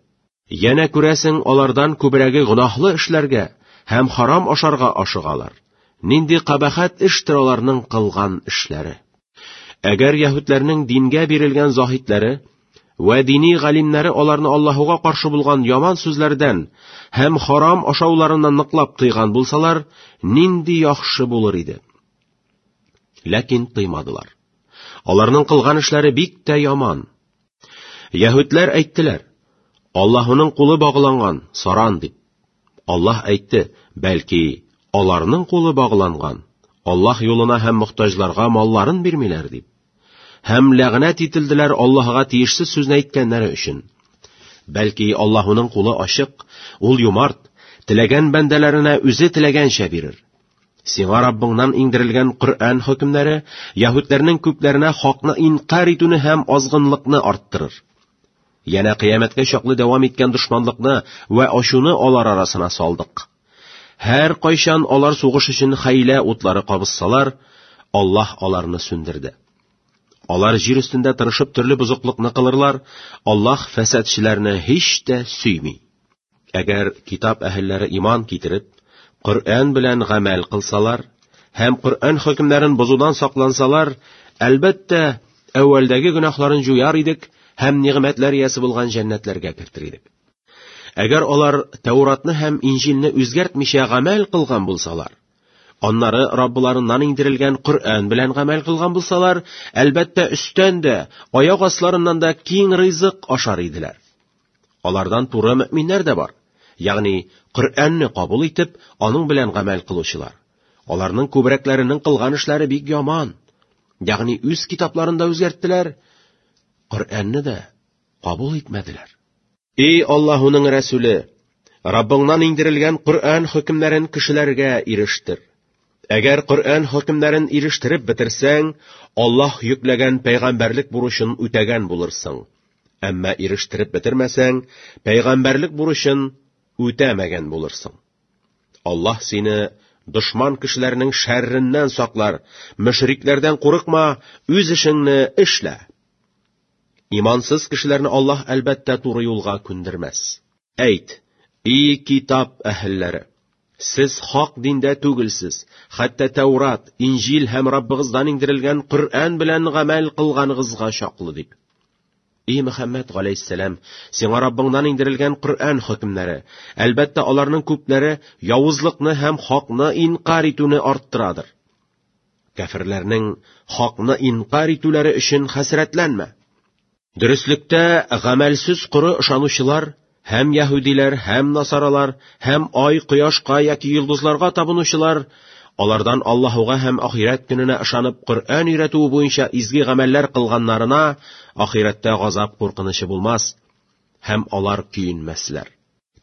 Янә күрәсең, алардан күбрәге гөнаһлы эшләргә һәм харам ашарга ашыгалар. Нинди кабахәт эштер аларның кылган эшләре. Әгәр яһүдләрнең дингә бирелгән заһидләре вә дини галимнәре аларны Аллаһуга каршы булган яман сүзләрдән һәм харам ашауларыннан ныклап тыйган булсалар, нинди яхшы булыр иде. Ләкин тыймадылар. Аларның кылган эшләре бик тә яман. Яһүдләр әйттеләр: Аллаһуның кулы багланган, саран дип. Аллаһ әйтте, бәлки, аларның кулы багланган, Аллаһ юлына һәм мохтаҗларга малларын бирмиләр дип. Һәм ләгънәт ителделәр Аллаһыга тиешсез сүзне әйткәннәре өчен. Бәлки, Аллаһуның кулы ачык, ул юмарт, теләгән бәндәләренә үзе теләгәнчә бирер. Сиңа Раббыңнан иңдерелгән Коръән хөкемнәре яһүдләрнең күпләренә хакны инкарь итүне һәм азгынлыкны арттырыр. Янә кыямәткә чаклы дәвам иткән дошманлыкны вә ачуны алар арасына салдык. Һәр кайчан алар сугыш өчен хәйлә утлары кабызсалар, Аллаһ аларны сүндерде. Алар җир өстендә тырышып төрле бозыклыкны кылырлар, Аллаһ фәсадчеләрне һич тә сөйми. Әгәр китап әһелләре иман китереп, Коръән белән гамәл кылсалар һәм Коръән хөкемнәрен бозудан саклансалар, әлбәттә, әүвәлдәге гөнаһларын җуяр идек һәм нигъмәтләр иясе булган җәннәтләргә кертер идек. Әгәр алар Тәуратны һәм Инҗилне үзгәртмичә гамәл кылган булсалар, аннары Раббыларыннан иңдерелгән Коръән белән гамәл кылган булсалар, әлбәттә, өстән дә, аяк асларыннан да киң ризык ашар иделәр. Алардан туры мөэминнәр дә бар, ягъни Коръәнне кабул итеп, аның белән гамәл кылучылар. Аларның күбрәкләренең кылган эшләре бик яман. Ягъни үз китапларын да үзгәрттеләр, Коръәнне дә кабул итмәделәр. Эй Аллаһуның Рәсүле, Раббыңнан иңдерелгән Коръән хөкемнәрен кешеләргә ирештер. Әгәр Коръән хөкемнәрен ирештереп бетерсәң, Аллаһ йөкләгән пәйгамбәрлек бурычын үтәгән булырсың. Әмма ирештереп бетермәсәң, пәйгамбәрлек бурычын үтәмәгән булырсың. Аллаһ сине дошман кешеләрнең шәрреннән саклар, мөшрикләрдән курыкма, үз эшеңне эшлә. Имансыз кешеләрне Аллаһ әлбәттә туры юлга күндермәс. Әйт, и китап әһелләре! Сез хак диндә түгелсез, хәтта Тәурат, Инҗил һәм Раббыгыздан иңдерелгән Коръән белән гамәл кылганыгызга чаклы дип. И Мөхәммәд галәйһиссәлам, сиңа Раббыңнан иңдерелгән Коръән хөкемнәре, әлбәттә, аларның күпләре явызлыкны һәм хакны инкарь итүне арттырадыр. Кәферләрнең хакны инкарь итүләре өчен хәсрәтләнмә. Дөреслектә гамәлсез коры ышанучылар һәм яһүдиләр, һәм насаралар, һәм ай, кояшка яки йолдызларга табынучылар, алардан Аллаһуга һәм ахирәт көненә ышанып Коръән өйрәтүе буенча изге гамәлләр кылганнарына ахирәттә газап куркынычы булмас һәм алар көенмәсләр.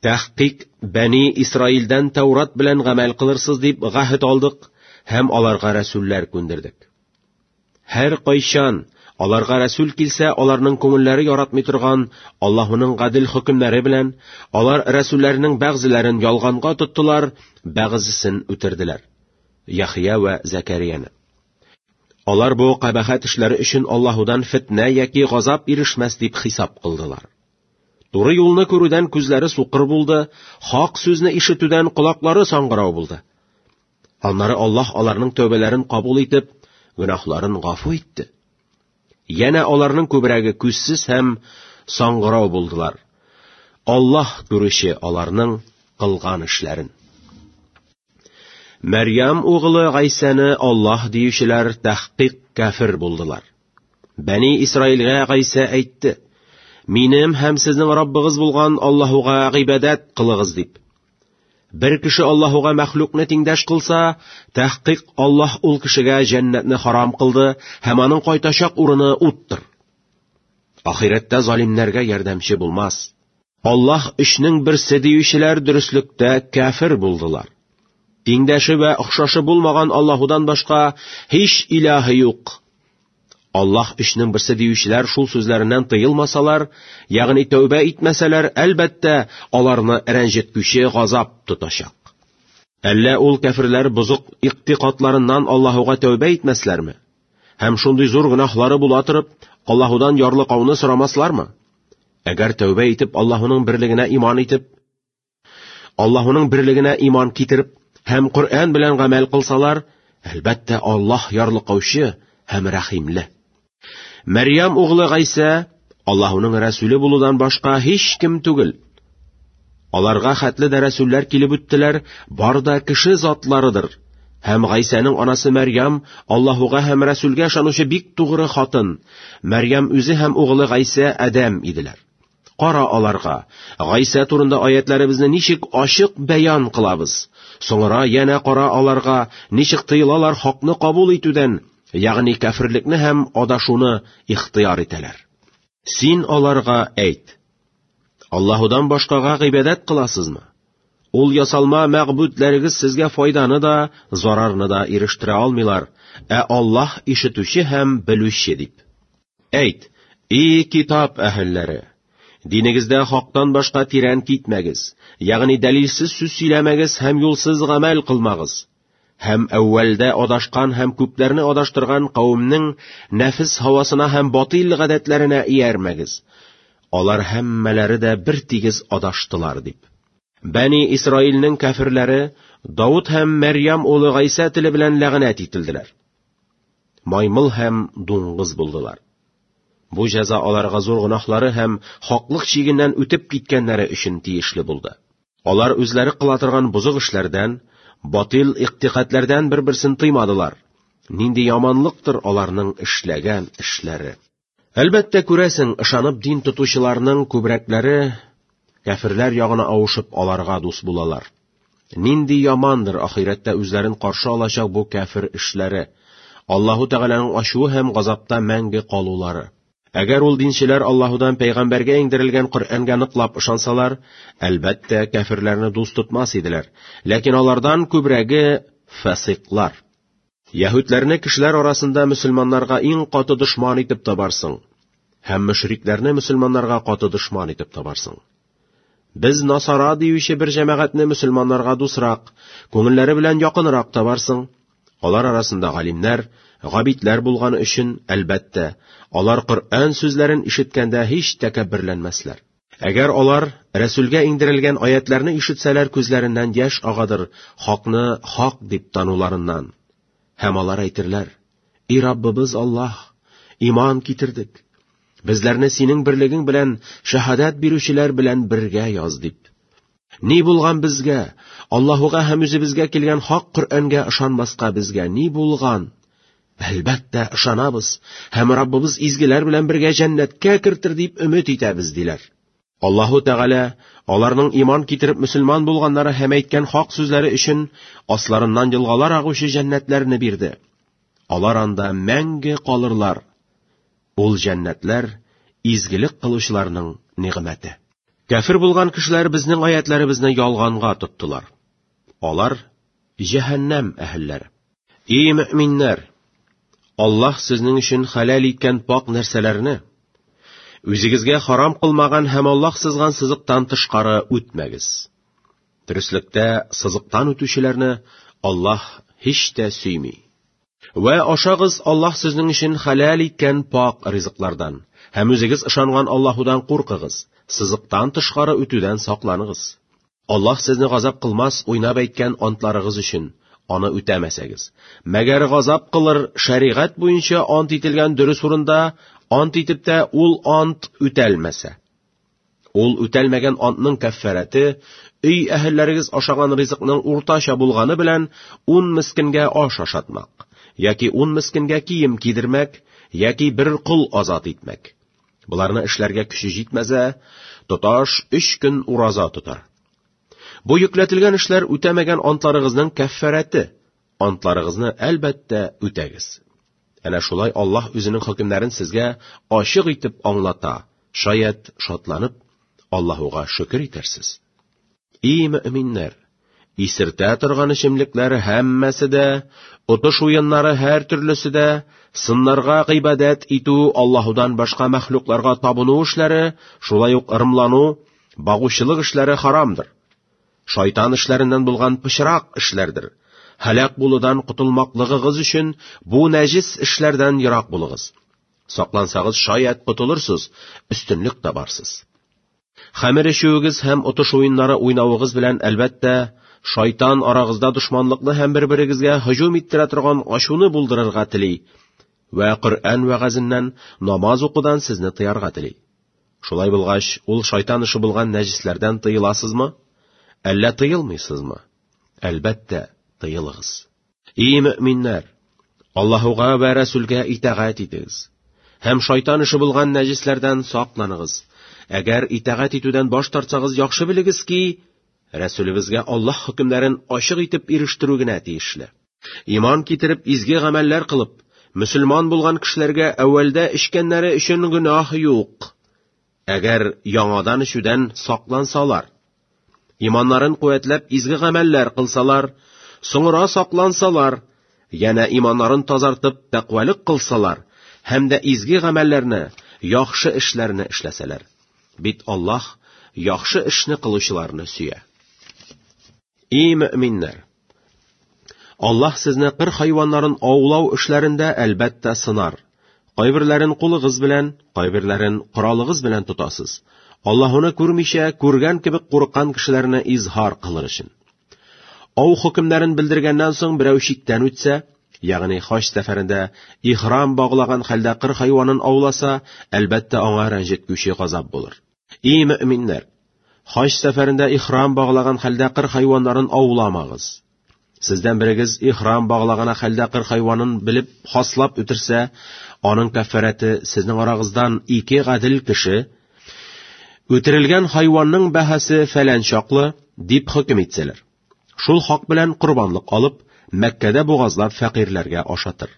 Тәхкыйк Бәни Исраилдән Тәурат белән гамәл кылырсыз дип гаһед алдык һәм аларга рәсүлләр күндердек. Һәр кайчан аларга рәсүл килсә, аларның күңелләре яратмый торган Аллаһуның гадел хөкемнәре белән алар рәсүлләрнең бәгъзеләрен ялганга тоттылар, бәгъзесен үтерделәр. Яхъя вә Зәкәрияне. Алар бу кабахәт эшләре өчен Аллаһудан фитнә яки газап ирешмәс дип хисап кылдылар. Туры юлны күрүдән күзләре сукыр булды, хак сүзне ишетүдән колаклары саңгырау булды. Аннары Аллаһ аларның тәүбәләрен кабул итеп, гөнаһларын гафу итте. Янә аларның күбрәге күзсез һәм саңгырау булдылар. Аллаһ күрүче аларның кылган эшләрен. Мәрьям угылы Гайсәне Аллаһ диючеләр тәхкыйк кафир булдылар. Бәни Исраилгә Гайсә әйтте: "Минем һәм сезнең Раббыгыз булган Аллаһуга гыйбадәт кылыгыз" дип. Бер кеше Аллаһуга мәхлукны тиңдәш кылса, тәхкыйк Аллаһ ул кешегә җәннәтне харам кылды һәм аның кайтачак урыны уттыр. Ахирәттә залимнәргә ярдәмче булмас. Аллаһ өчнең берсе диючеләр дөреслектә кафир булдылар. Тиңдәше вә охшашы булмаган Аллаһудан башка һич илаһы юк. Аллаһ өчнең берсе диючеләр шул сүзләреннән тыелмасалар, ягъни тәүбә итмәсәләр, әлбәттә, аларны рәнҗеткүче газап тотачак. Әллә ул кәферләр бозык иктикадларыннан Аллаһуга тәүбә итмәсләрме? Һәм шундый зур гөнаһлары була торып, Аллаһудан ярлыкауны сорамаслармы? Әгәр тәүбә итеп Аллаһуның берлегенә иман итеп, Аллаһуның берлегенә иман китереп һәм Коръән белән гамәл кылсалар, әлбәттә, Аллаһ ярлыкаучы һәм рәхимле. Мәрьям углы Гайсә Аллаһуның рәсүле булудан башка һич кем түгел. Аларга хәтле дә рәсүлләр килеп үттеләр, бар да кеше затларыдыр. Һәм Гайсәнең анасы Мәрьям Аллаһуга һәм рәсүлгә ышанучы бик тугры хатын. Мәрьям үзе һәм угылы Гайсә адәм иделәр. Кара аларга, Гайсә турында аятләребезне ничек ачык бәян кылабыз. Соңра янә кара аларга, ничек тыелалар хакны кабул итүдән, ягъни кәферлекне һәм адашуны ихтыяр итәләр. Син аларга әйт: Аллаһудан башкага гыйбадәт кыласызмы? Ул ясалма мәгъбүдләрегез сезгә файданы да, зарарны да ирештерә алмыйлар, ә Аллаһ ишетүче һәм белүче дип. Әйт, и китап әһелләре! Динегездә хактан башка тирән китмәгез, ягъни дәлилсез сүз сөйләмәгез һәм юлсыз гамәл кылмагыз. Һәм әүвәлдә адашкан һәм күпләрне адаштырган кавемнең нәфес һавасына һәм батыйл гадәтләренә иярмәгез. Алар һәммәләре дә бер тигез адаштылар дип. Бәни Исраилнең кәферләре Давыт һәм Мәрьям улы Гайсә теле белән ләгънәт ителделәр. Маймыл һәм дуңгыз булдылар. Бу җәза аларга зур гөнаһлары һәм хаклык чигеннән үтеп киткәннәре өчен тиешле булды. Алар үзләре кыла торган бозык эшләрдән, батил иктикадләрдән бер-берсен тыймадылар. Нинди яманлыктыр аларның эшләгән эшләре. Әлбәттә, күрәсең, ышанып дин тотучыларның күбрәкләре кәферләр ягына авышып аларга дус булалар. Нинди ямандыр ахирәттә үзләрен каршы алачак бу кәфер эшләре, Аллаһу Тәгаләнең ачуы һәм газапта мәңге калулары. Әгәр ул динчеләр Аллаһудан пәйгамбәргә иңдерелгән Коръәнгә ныклап ышансалар, әлбәттә, кәферләрне дус тотмас иделәр. Ләкин алардан күбрәге фасиклар. Яһүдләрне кешеләр арасында мөселманнарга иң каты дошман итеп табарсың, һәм мөшрикләрне мөселманнарга каты дошман итеп табарсың. Без насара диюче бер җәмәгатьне мөселманнарга дусрак, күңелләре белән якынрак табарсың. Алар арасында галимнәр, габидләр булганы өчен, әлбәттә, алар Коръән сүзләрен ишеткәндә һич тәкәбберләнмәсләр. Әгәр алар Рәсүлгә иңдерелгән аятьләрне ишетсәләр, күзләреннән яшь агадыр, хакны хак дип тануларыннан. Һәм алар әйтерләр: "И Раббыбыз Аллаһ, иман китердек. Безләрне синең берлегең белән шәһадәт бирүчеләр белән бергә яз", дип. Ни булган безгә? Аллаһуга һәм үзебезгә килгән хак Коръәнгә ышанмаска безгә ни булган? Әлбәттә, ышанабыз һәм Раббыбыз изгеләр белән бергә җәннәткә кертер дип өмет итәбез, диләр. Аллаһу Тәгалә аларның иман китереп мөселман булганнары һәм әйткән хак сүзләре өчен асларыннан елгалар агучы җәннәтләрне бирде. Алар анда мәңге калырлар. Ул җәннәтләр изгелек кылучыларның нигъмәте. Кәфер булган кешеләр безнең аятләребезне ялганга тоттылар. Алар җәһәннәм әһелләре. И мөэминнәр! Аллаһ сезнең өчен хәләл иткән пак нәрсәләрне, үзегезгә харам кылмаган һәм Аллаһ сызган сызыктан тышкары үтмәгез. Дөреслектә сызыктан үтүчеләрне Аллаһ һич тә сөйми. Вә ашагыз Аллаһ сезнең өчен хәләл иткән пак ризыклардан, һәм үзегез ышанган Аллаһудан куркыгыз, сызыктан тышкары үтүдән сакланыгыз. Аллаһ сезне газап кылмас уйнап әйткән антларыгыз өчен, аны үтәмәсәгез. Мәгәр газап кылыр шәригать буенча ант ителгән дөрес урында ант итеп тә ул ант үтәлмәсә. Ул үтәлмәгән антның кәффәрәте өй әһелләрегез ашаган ризыкның уртача булганы белән ун мескенгә аш ашатмак, яки ун мескенгә кием кидермәк, яки бер кол азат итмәк. Боларны эшләргә көче җитмәсә, тоташ өч көн ураза тотар. Бу йөкләтелгән эшләр үтәмәгән антларыгызның кәффәрәте. Антларыгызны әлбәттә үтәгез. Әнә шулай Аллаһ үзенең хөкемнәрен сезгә ачык итеп аңлата. Шаять, шатланып, Аллаһуга шөкер итәрсез. И мөэминнәр! Исертә торган эчемлекләр һәммәсе дә, отыш уеннары һәр төрлесе дә, сыннарга гыйбадәт итү, Аллаһудан башка мәхлукларга табыну эшләре, шулай ук ырымлану, багучылык эшләре харамдыр. Шайтан эшләреннән булган пычрак эшләрдер. Һәлак булудан котылмаклыгыгыз өчен бу нәҗис эшләрдән ерак булыгыз. Саклансагыз, шаять котылырсыз, өстенлек табарсыз. Хәмер эчүегез һәм отыш уеннары уйнавыгыз белән, әлбәттә, шайтан арагызда дошманлыкны һәм бер-берегезгә һөҗүм иттерә торган ачуны булдырырга тели вә Коръән вәгазеннән, намаз укудан сезне тыярга тели. Шулай булгач, ул шайтан эше булган нәҗесләрдән тыеласызмы? Әллә тыелмыйсызмы? Әлбәттә, тыелыгыз. И мөэминнәр! Аллаһуга вә Рәсүлгә итагать итегез. Һәм шайтан эше булган нәҗесләрдән сакланыгыз. Әгәр итагать итүдән баш тартсагыз, яхшы белегез ки, Рәсүлебезгә Аллаһ хөкемнәрен ачык итеп ирештерү генә тиешле. Иман китереп, изге гамәлләр кылып, мөселман булган кешеләргә әүвәлдә эчкәннәре өчен гөнаһ юк. Әгәр яңадан эчүдән саклансалар, иманнарын куәтләп изге гамәлләр кылсалар, соңра саклансалар, янә иманнарын тазартып тәкъвалык кылсалар һәм дә изге гамәлләрне, яхшы эшләрне эшләсәләр. Бит Аллаһ яхшы эшне кылучыларны сөя. И мөэминнәр! Аллаһ сезне кыр хайваннарын аулау эшләрендә әлбәттә сынар. Кайберләрен кулыгыз белән, кайберләрен коралыгыз белән тотасыз. Аллаһуны күрмичә, күргән кебек курыккан кешеләрне изһар кылыр өчен. Ау хөкемнәрен белдергәннән соң берәү чиктән үтсә, ягъни хаҗ сәфәрендә ихрам баглаган хәлдә кыр хайванын ауласа, әлбәттә аңа рәнҗеткүче газап булыр. И мөэминнәр! Хаҗ сәфәрендә ихрам баглаган хәлдә кыр хайваннарын ауламагыз. Сездән берегез ихрам баглаган хәлдә кыр хайванын белеп хаслап үтерсә, аның кәффарәте сезнең арагыздан ике гадел кеше үтерелгән хайванның бәһасе фәлән чаклы дип хөкем итсәләр. Шул хак белән корбанлык алып, Мәккәдә бугазлап фәкыйрьләргә ашатыр.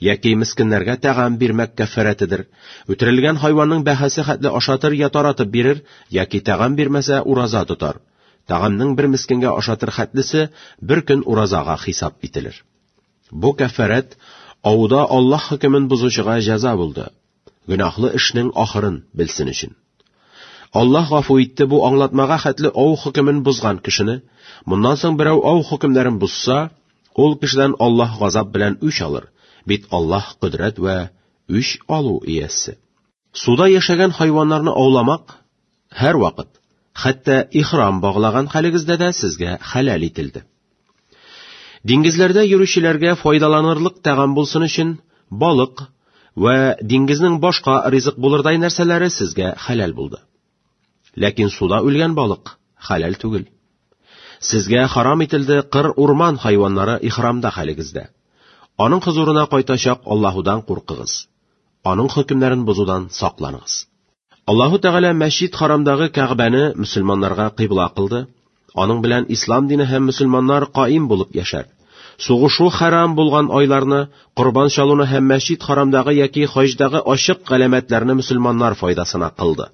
Яки мескеннәргә тәгам бирмәк кәффарәтедер. Үтерелгән хайванның бәһасе хәтле ашатыр я таратып бирер, яки тәгам бирмәсә ураза тотар. Тәгамның бер мескенгә ашатыр хәтлесе бер көн уразага хисап ителер. Бу кәффарәт ауда Аллаһ хөкемен бозучыга җәза булды. Гөнаһлы эшнең ахырын белсен өчен. Аллаһ гафу итте бу аңлатмага хәтле ау хөкемен бозган кешене. Моннан соң берәү ау хөкемнәрен бозса, ул кешедән Аллаһ газап белән үч алыр. Бит Аллаһ кодрәт вә үч алу иясе. Суда яшәгән хайваннарны ауламак һәр вакыт, хәтта ихрам баглаган хәлегездә дә сезгә хәләл ителде. Диңгезләрдә йөрүчеләргә файдаланырлык тәгам булсын өчен балык вә диңгезнең башка ризык булырдай нәрсәләре сезгә хәләл булды. Ләкин суда үлгән балык хәләл түгел. Сезгә харам ителде кыр урман хайваннары ихрамда хәлегездә. Аның хозурына кайтачак Аллаһудан куркыгыз. Аның хөкемнәрен бозудан сакланыгыз. Аллаһу Тәгалә Мәсҗид Харамдагы Кәгъбәне мөселманнарга кыйбла кылды. Аның белән ислам дине һәм мөселманнар каим булып яшәр. Сугышу харам булган айларны, корбан чалуны һәм Мәсҗид Харамдагы яки хаҗдагы ачык галәмәтләрне мөселманнар файдасына кылды.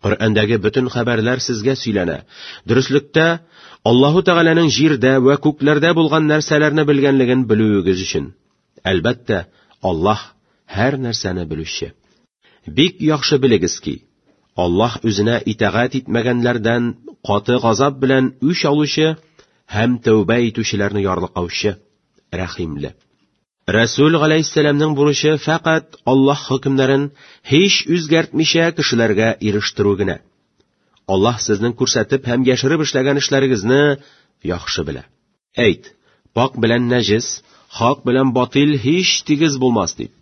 Коръәндәге бөтен хәбәрләр сезгә сөйләнә. Дөреслектә, Аллаһу Тәгаләнең җирдә вә күкләрдә булган нәрсәләрне белгәнлеген белүегез өчен. Әлбәттә, Аллаһ һәр нәрсәне белүче. Бик яхшы белегез ки, Аллаһ үзенә итагать итмәгәннәрдән каты газап белән үч алучы һәм тәүбә итүчеләрне ярлыкаучы, рәхимле. Рәсүл галәйһиссәламнең бурычы фәкать Аллаһ хөкемнәрен һич үзгәртмичә кешеләргә ирештерү генә. Аллаһ сезнең күрсәтеп һәм яшереп эшләгән эшләрегезне яхшы белә. Әйт, пак белән нәҗес, хак белән батил һич тигез булмас дип.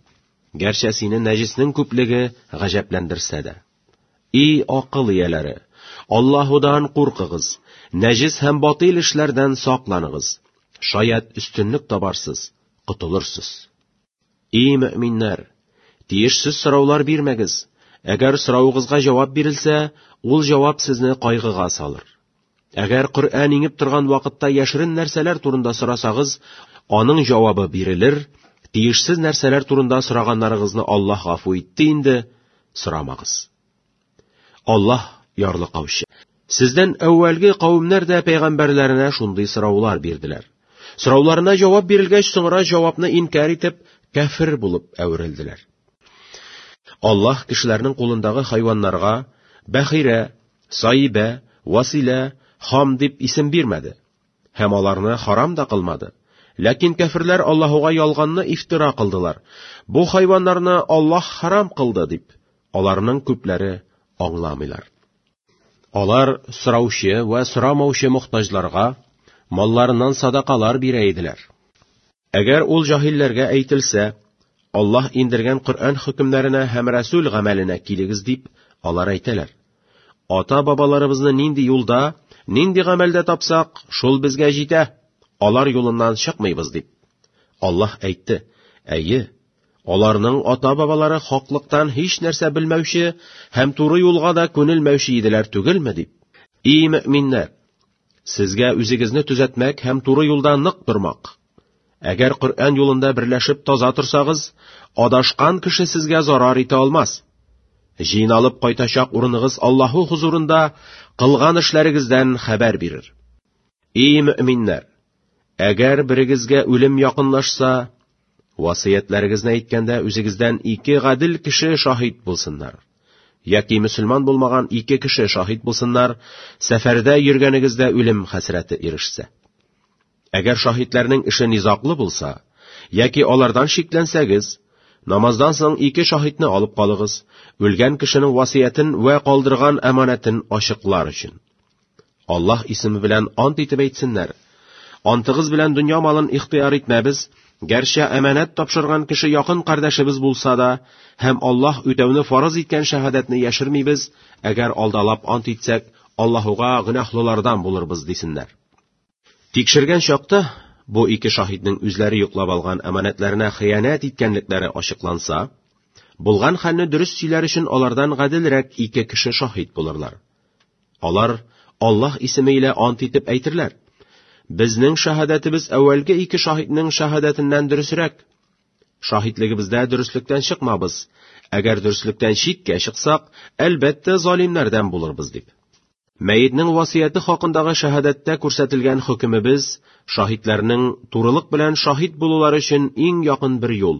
Гәрчә сине нәҗеснең күплеге гаҗәпләндерсә дә. И акыл ияләре, Аллаһудан куркыгыз, нәҗес һәм батил эшләрдән сакланыгыз. Шаять өстенлек табарсыз, котылырсыз. И мөэминнәр, тиешсез сораулар бирмәгез. Әгәр соравыгызга җавап бирелсә, ул җавап сезне кайгыга салыр. Әгәр Коръән иңеп торган вакытта яшерен нәрсәләр турында сорасагыз, аның җавабы бирелер, тиешсез нәрсәләр турында сораганнарыгызны Аллаһ гафу итте инде, сорамагыз. Аллаһ ярлыкаучы. Сездән әүвәлге кавемнәр дә пәйгамбәрләренә шундый сораулар бирделәр. Сорауларына җавап бирелгәч, соңра җавапны инкяр итеп, кәфер булып әверелделәр. Аллаһ кешеләрнең кулындагы хайваннарга бәхирә, Саибә, Василә, Хам дип исем бирмәде һәм аларны харам да кылмады. Ләкин кәферләр Аллаһуга ялганны ифтира кылдылар. Бу хайваннарны Аллаһ харам кылды дип, аларның күпләре аңламыйлар. Алар сораучы вә сорамаучы мохтаҗларга малларыннан садакалар бирә иделәр. Әгәр ул җаһилләргә әйтелсә, Аллаһ индергән Коръән хөкемнәренә һәм Рәсүл гамәленә килегез дип, алар әйтәләр. Ата-бабаларыбызны нинди юлда, нинди гамәлдә тапсак, шул безгә җитә, алар юлыннан чыкмыйбыз дип. Аллаһ әйтте: Әйе, аларның ата-бабалары хаклыктан һич нәрсә белмәүче һәм туры юлга да күнелмәүче иделәр түгелме дип. И мөэминнәр, сезгә үзегезне төзәтмәк һәм туры юлда нык тормак. Әгәр Коръән юлында берләшеп таза торсагыз, адашкан кеше сезгә зарар итә алмас. Җыйналып кайтачак урыныгыз Аллаһу хузурында кылган эшләрегездән хәбәр бирер. И мөэминнәр, әгәр берегезгә үлем якынлашса, васыятьләрегезне әйткәндә үзегездән ике гадел кеше шаһит булсыннар. Яки мөселман булмаган ике кеше шаһит булсыннар, сәфәрдә йөргәнегездә үлем хәсрәте ирешсә. Әгәр шаһитләрнең эше низаклы булса, яки алардан шикләнсәгез, намаздан соң ике шаһитне алып калыгыз, үлгән кешенең васыятен вә калдырган әманәтен ачыклар өчен. Аллаһ исеме белән ант итеп әйтсеннәр. Антыгыз белән дөнья малын ихтыяр итмәбез, гәрчә әманәт тапшырган кеше якын кардәшебез булса да, һәм Аллаһ үтәүне фарыз иткән шәһадәтне яшермибез, әгәр алдалап ант итсәк, Аллаһуга гөнаһлылардан булырбыз дисеннәр. Тикшергән чакта бу ике шаһитнең үзләре йоклап алган әманәтләренә хыянәт иткәнлекләре ачыкланса, булган хәлне дөрес сөйләр өчен алардан гаделрәк ике кеше шаһит булырлар. Алар Аллаһ исеме илә ант итеп әйтерләр: Безнең шаһадәтебез әүвәлге ике шаһитнең шаһадәтеннән дөресрәк. Шаһитлегебездә дөреслектән чыкмабыз. Әгәр дөреслектән читкә чыксак, әлбәттә, залимнәрдән булырбыз дип. Мәетнең васыяте хакындагы шәһадәттә күрсәтелгән хөкемебез шаһитләрнең турылык белән шаһит булулары өчен иң якын бер юл,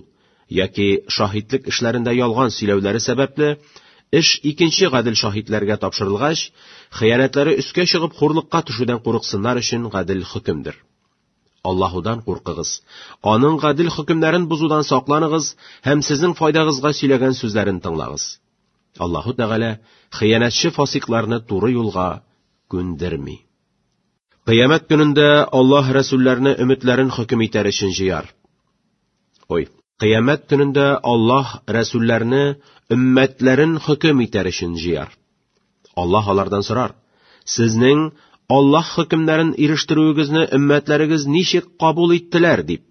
яки шаһитлек эшләрендә ялган сөйләүләре сәбәпле, Эш икенче гадел шаһитләргә тапшырылгач, хыянәтләре өскә чыгып хурлыкка төшүдән курыксыннар өчен гадел хөкемдер. Аллаһудан куркыгыз. Аның гадел хөкемнәрен бозудан сакланыгыз һәм сезнең файдагызга сөйләгән сүзләрен тыңлагыз. Аллаһу Тәгалә хыянәтче фасикларны туры юлга күндерми. Кыямәт көнендә Аллаһ рәсүлләрне өметләрен хөкем итәр өчен җыяр. Ой, кыямәт көнендә Аллаһ рәсүлләрне өммәтләрен хөкем итәр өчен җыяр. Аллаһ алардан сорар: "Сезнең Аллаһ хөкемнәрен ирештерүегезне өммәтләрегез ничек кабул иттеләр?" дип.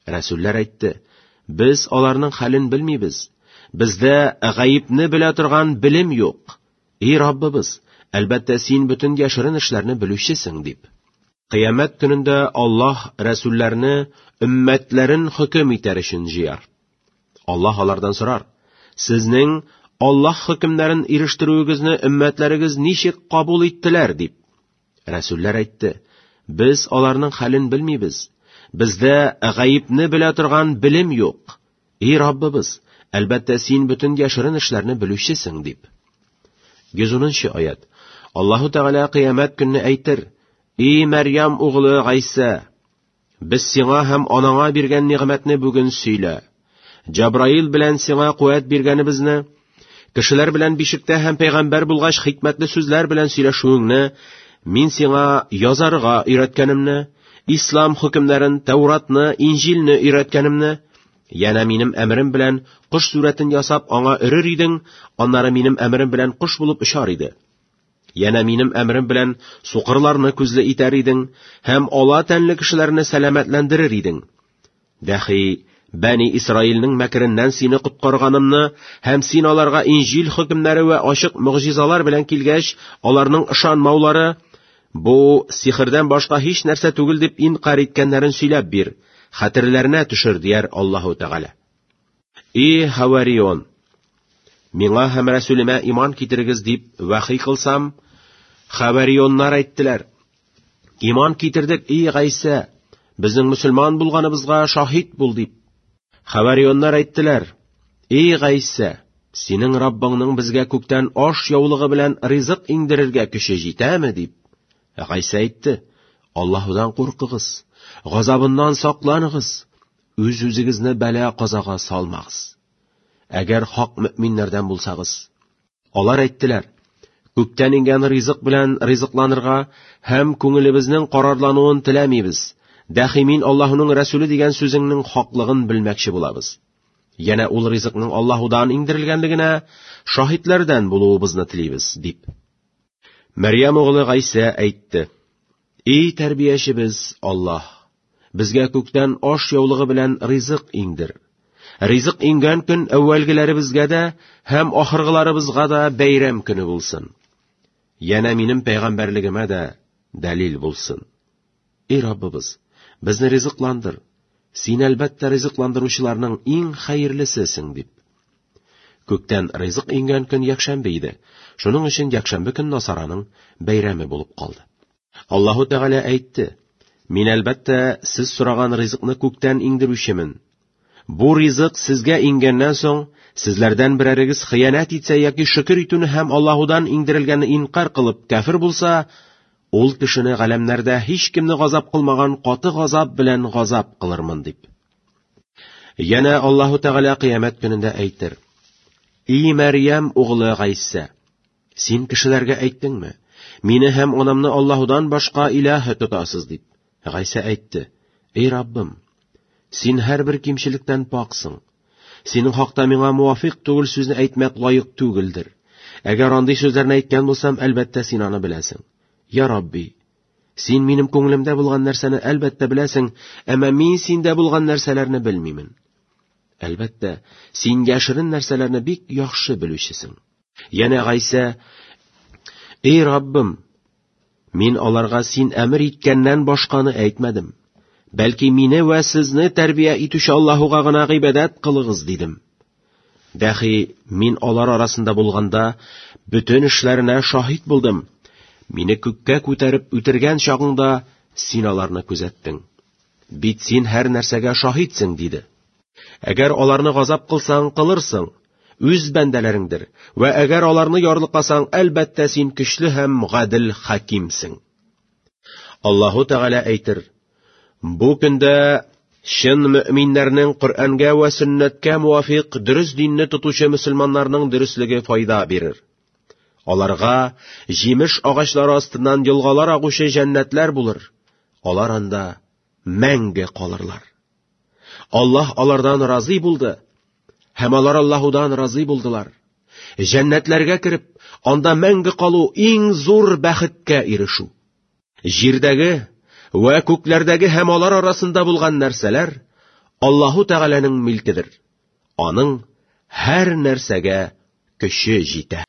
Рәсүлләр әйтте: "Без аларның хәлен белмибез. Бездә гаепне белә торган белем юк. Эй Раббыбыз, әлбәттә син бөтен яшерен эшләрне белүчесең", дип. Кыямәт көнендә Аллаһ рәсүлләрне өммәтләрен хөкем итәр өчен җыяр. Аллаһ алардан сорар: "Сезнең Аллаһ хөкемнәрен ирештерүегезне өммәтләрегез ничек кабул иттеләр?" дип. Рәсүлләр әйтте: "Без аларның хәлен белмибез. Бездә гаепне белә торган белем юк. Эй Раббыбыз, әлбәттә син бөтен яшерен эшләрне белүчесең", дип. 110 аят. Аллаһу Тәгалә кыямәт көнне әйтер: "Эй Мәрьям углы Гайсә, без сиңа һәм анаңа биргән нигъмәтне бүген сөйлә. Җабраил белән сиңа куәт биргәнебезне, кешеләр белән бишектә һәм пәйгамбәр булгач хикмәтле сүзләр белән сөйләшүеңне, мин сиңа язарга өйрәткәнемне, ислам хөкемнәрен, Тәуратны, Инҗилне өйрәткәнемне, янә минем әмерем белән кош сурәтен ясап аңа өрер идең, аннары минем әмерем белән кош булып очар иде. Янә минем әмерем белән сукырларны күзле итәр идең һәм ала тәнле кешеләрне сәламәтләндерер идең. Дәхи Бәни Исраилнең мәкереннән сине коткарганымны һәм син аларга Инҗил хөкемнәре вә ачык могҗизалар белән килгәч, аларның ышанмаулары бу сихердән башка һич нәрсә түгел дип инкар иткәннәрен сөйләп бир, хәтерләренә төшер, дияр Аллаһу Тәгалә. И Хаварион, миңа һәм Рәсүлемә иман китерегез дип вахи кылсам, Хаварионнар әйттеләр: Иман китердек, ий Гайсә, безнең мөселман булганыбызга шаһит бул дип. Хаварионнар әйттеләр: Ий Гайсә, синең Раббыңның безгә күктән аш яулыгы белән ризык иңдерергә көче җитәме дип. Гайсә әйтте: Аллаһудан куркыгыз, газабыннан сакланыгыз, үз-үзегезне бәла-казага салмагыз. Әгәр хак мөэминнәрдән булсагыз. Алар әйттеләр: Күктән иңгән ризык белән ризыкланырга һәм күңелебезнең карарлануын теләмибез. Дәхи мин Аллаһуның Рәсүле дигән сүзеңнең хаклыгын белмәкче булабыз. Янә ул ризыкның Аллаһудан иңдерелгәнлегенә шаһитләрдән булуыбызны телибез, дип. Мәрьям углы Гайсә әйтте: Эй тәрбиячебез Аллаһ, безгә күктән аш яулыгы белән ризык иңдер. Ризык иңгән көн әүвәлгеләребезгә дә һәм ахыргыларыбызга да бәйрәм көне булсын. Янә минем пәйгамбәрлегемә дә дәлил булсын. Эй Раббыбыз, безне ризыкландыр. Син әлбәттә ризыкландыручыларның иң хәерлесесең, дип. Күктән ризык иңгән көн якшәмбе иде. Шуның өчен якшәмбе көн Насараның бәйрәме булып калды. Аллаһу Тәгалә әйтте: Мин әлбәттә сез сораган ризыкны күктән иңдерүчемен. Бу ризык сезгә иңгәннән соң, сезләрдән берәрегез хыянәт итсә яки шөкер итүне һәм Аллаһудан иңдерелгәнне инкар кылып кәфер булса, ул кешене галәмнәрдә һичкемне газап кылмаган каты газап белән газап кылырмын, дип. Янә Аллаһу Тәгалә кыямәт көнендә әйтер: И Мәрьям углы Гайсә, син кешеләргә әйттеңме? Мине һәм анамны Аллаһудан башка илаһ тотасыз, дип. Гайсә әйтте: Эй Раббым, син һәрбер кимчелектән паксың. Синең хакта миңа муафиқ түгел сүзне әйтмәк лаек түгелдер. Әгәр андый сүзләрне әйткән булсам, әлбәттә син аны беләсең. Я Рабби, син минем күңелемдә булган нәрсәне әлбәттә беләсең, әмма мин синдә булган нәрсәләрне белмимен. Әлбәттә, син яшерен нәрсәләрне бик яхшы белүчесең. Янә Гайсә: Эй Раббым, мин аларга син әмер иткәннән башканы әйтмәдем. Бәлки мине вә сезне тәрбия итүче Аллаһуга гына гыйбадәт кылыгыз, дидем. Дәхи мин алар арасында булганда бөтен эшләренә шаһит булдым. Мине күккә күтәреп үтергән чагыңда син аларны күзәттең. Бит син һәр нәрсәгә шаһитсең, диде. Әгәр аларны газап кылсаң, кылырсың. үз бәндәләреңдер, вә әгәр аларны ярлыкасаң, әлбәттә, син көчле һәм гадел хакимсең. Аллаһу Тәгалә әйтер: Бу көндә чын мөэминнәрнең Коръәнгә вә сөннәткә муафикъ дөрес динне тотучы мөселманнарның дөреслеге файда бирер. Аларга җимеш агачлары астыннан елгалар агучы җәннәтләр булыр. Алар анда мәңге калырлар. Аллаһ алардан разый булды, һәм алар Аллаһудан разый булдылар. Җәннәтләргә кереп, анда мәңге калу иң зур бәхеткә ирешү. Җирдәге вә күкләрдәге һәм алар арасында булган нәрсәләр Аллаһу Тәгаләнең милкедер. Аның һәр нәрсәгә көче җитә.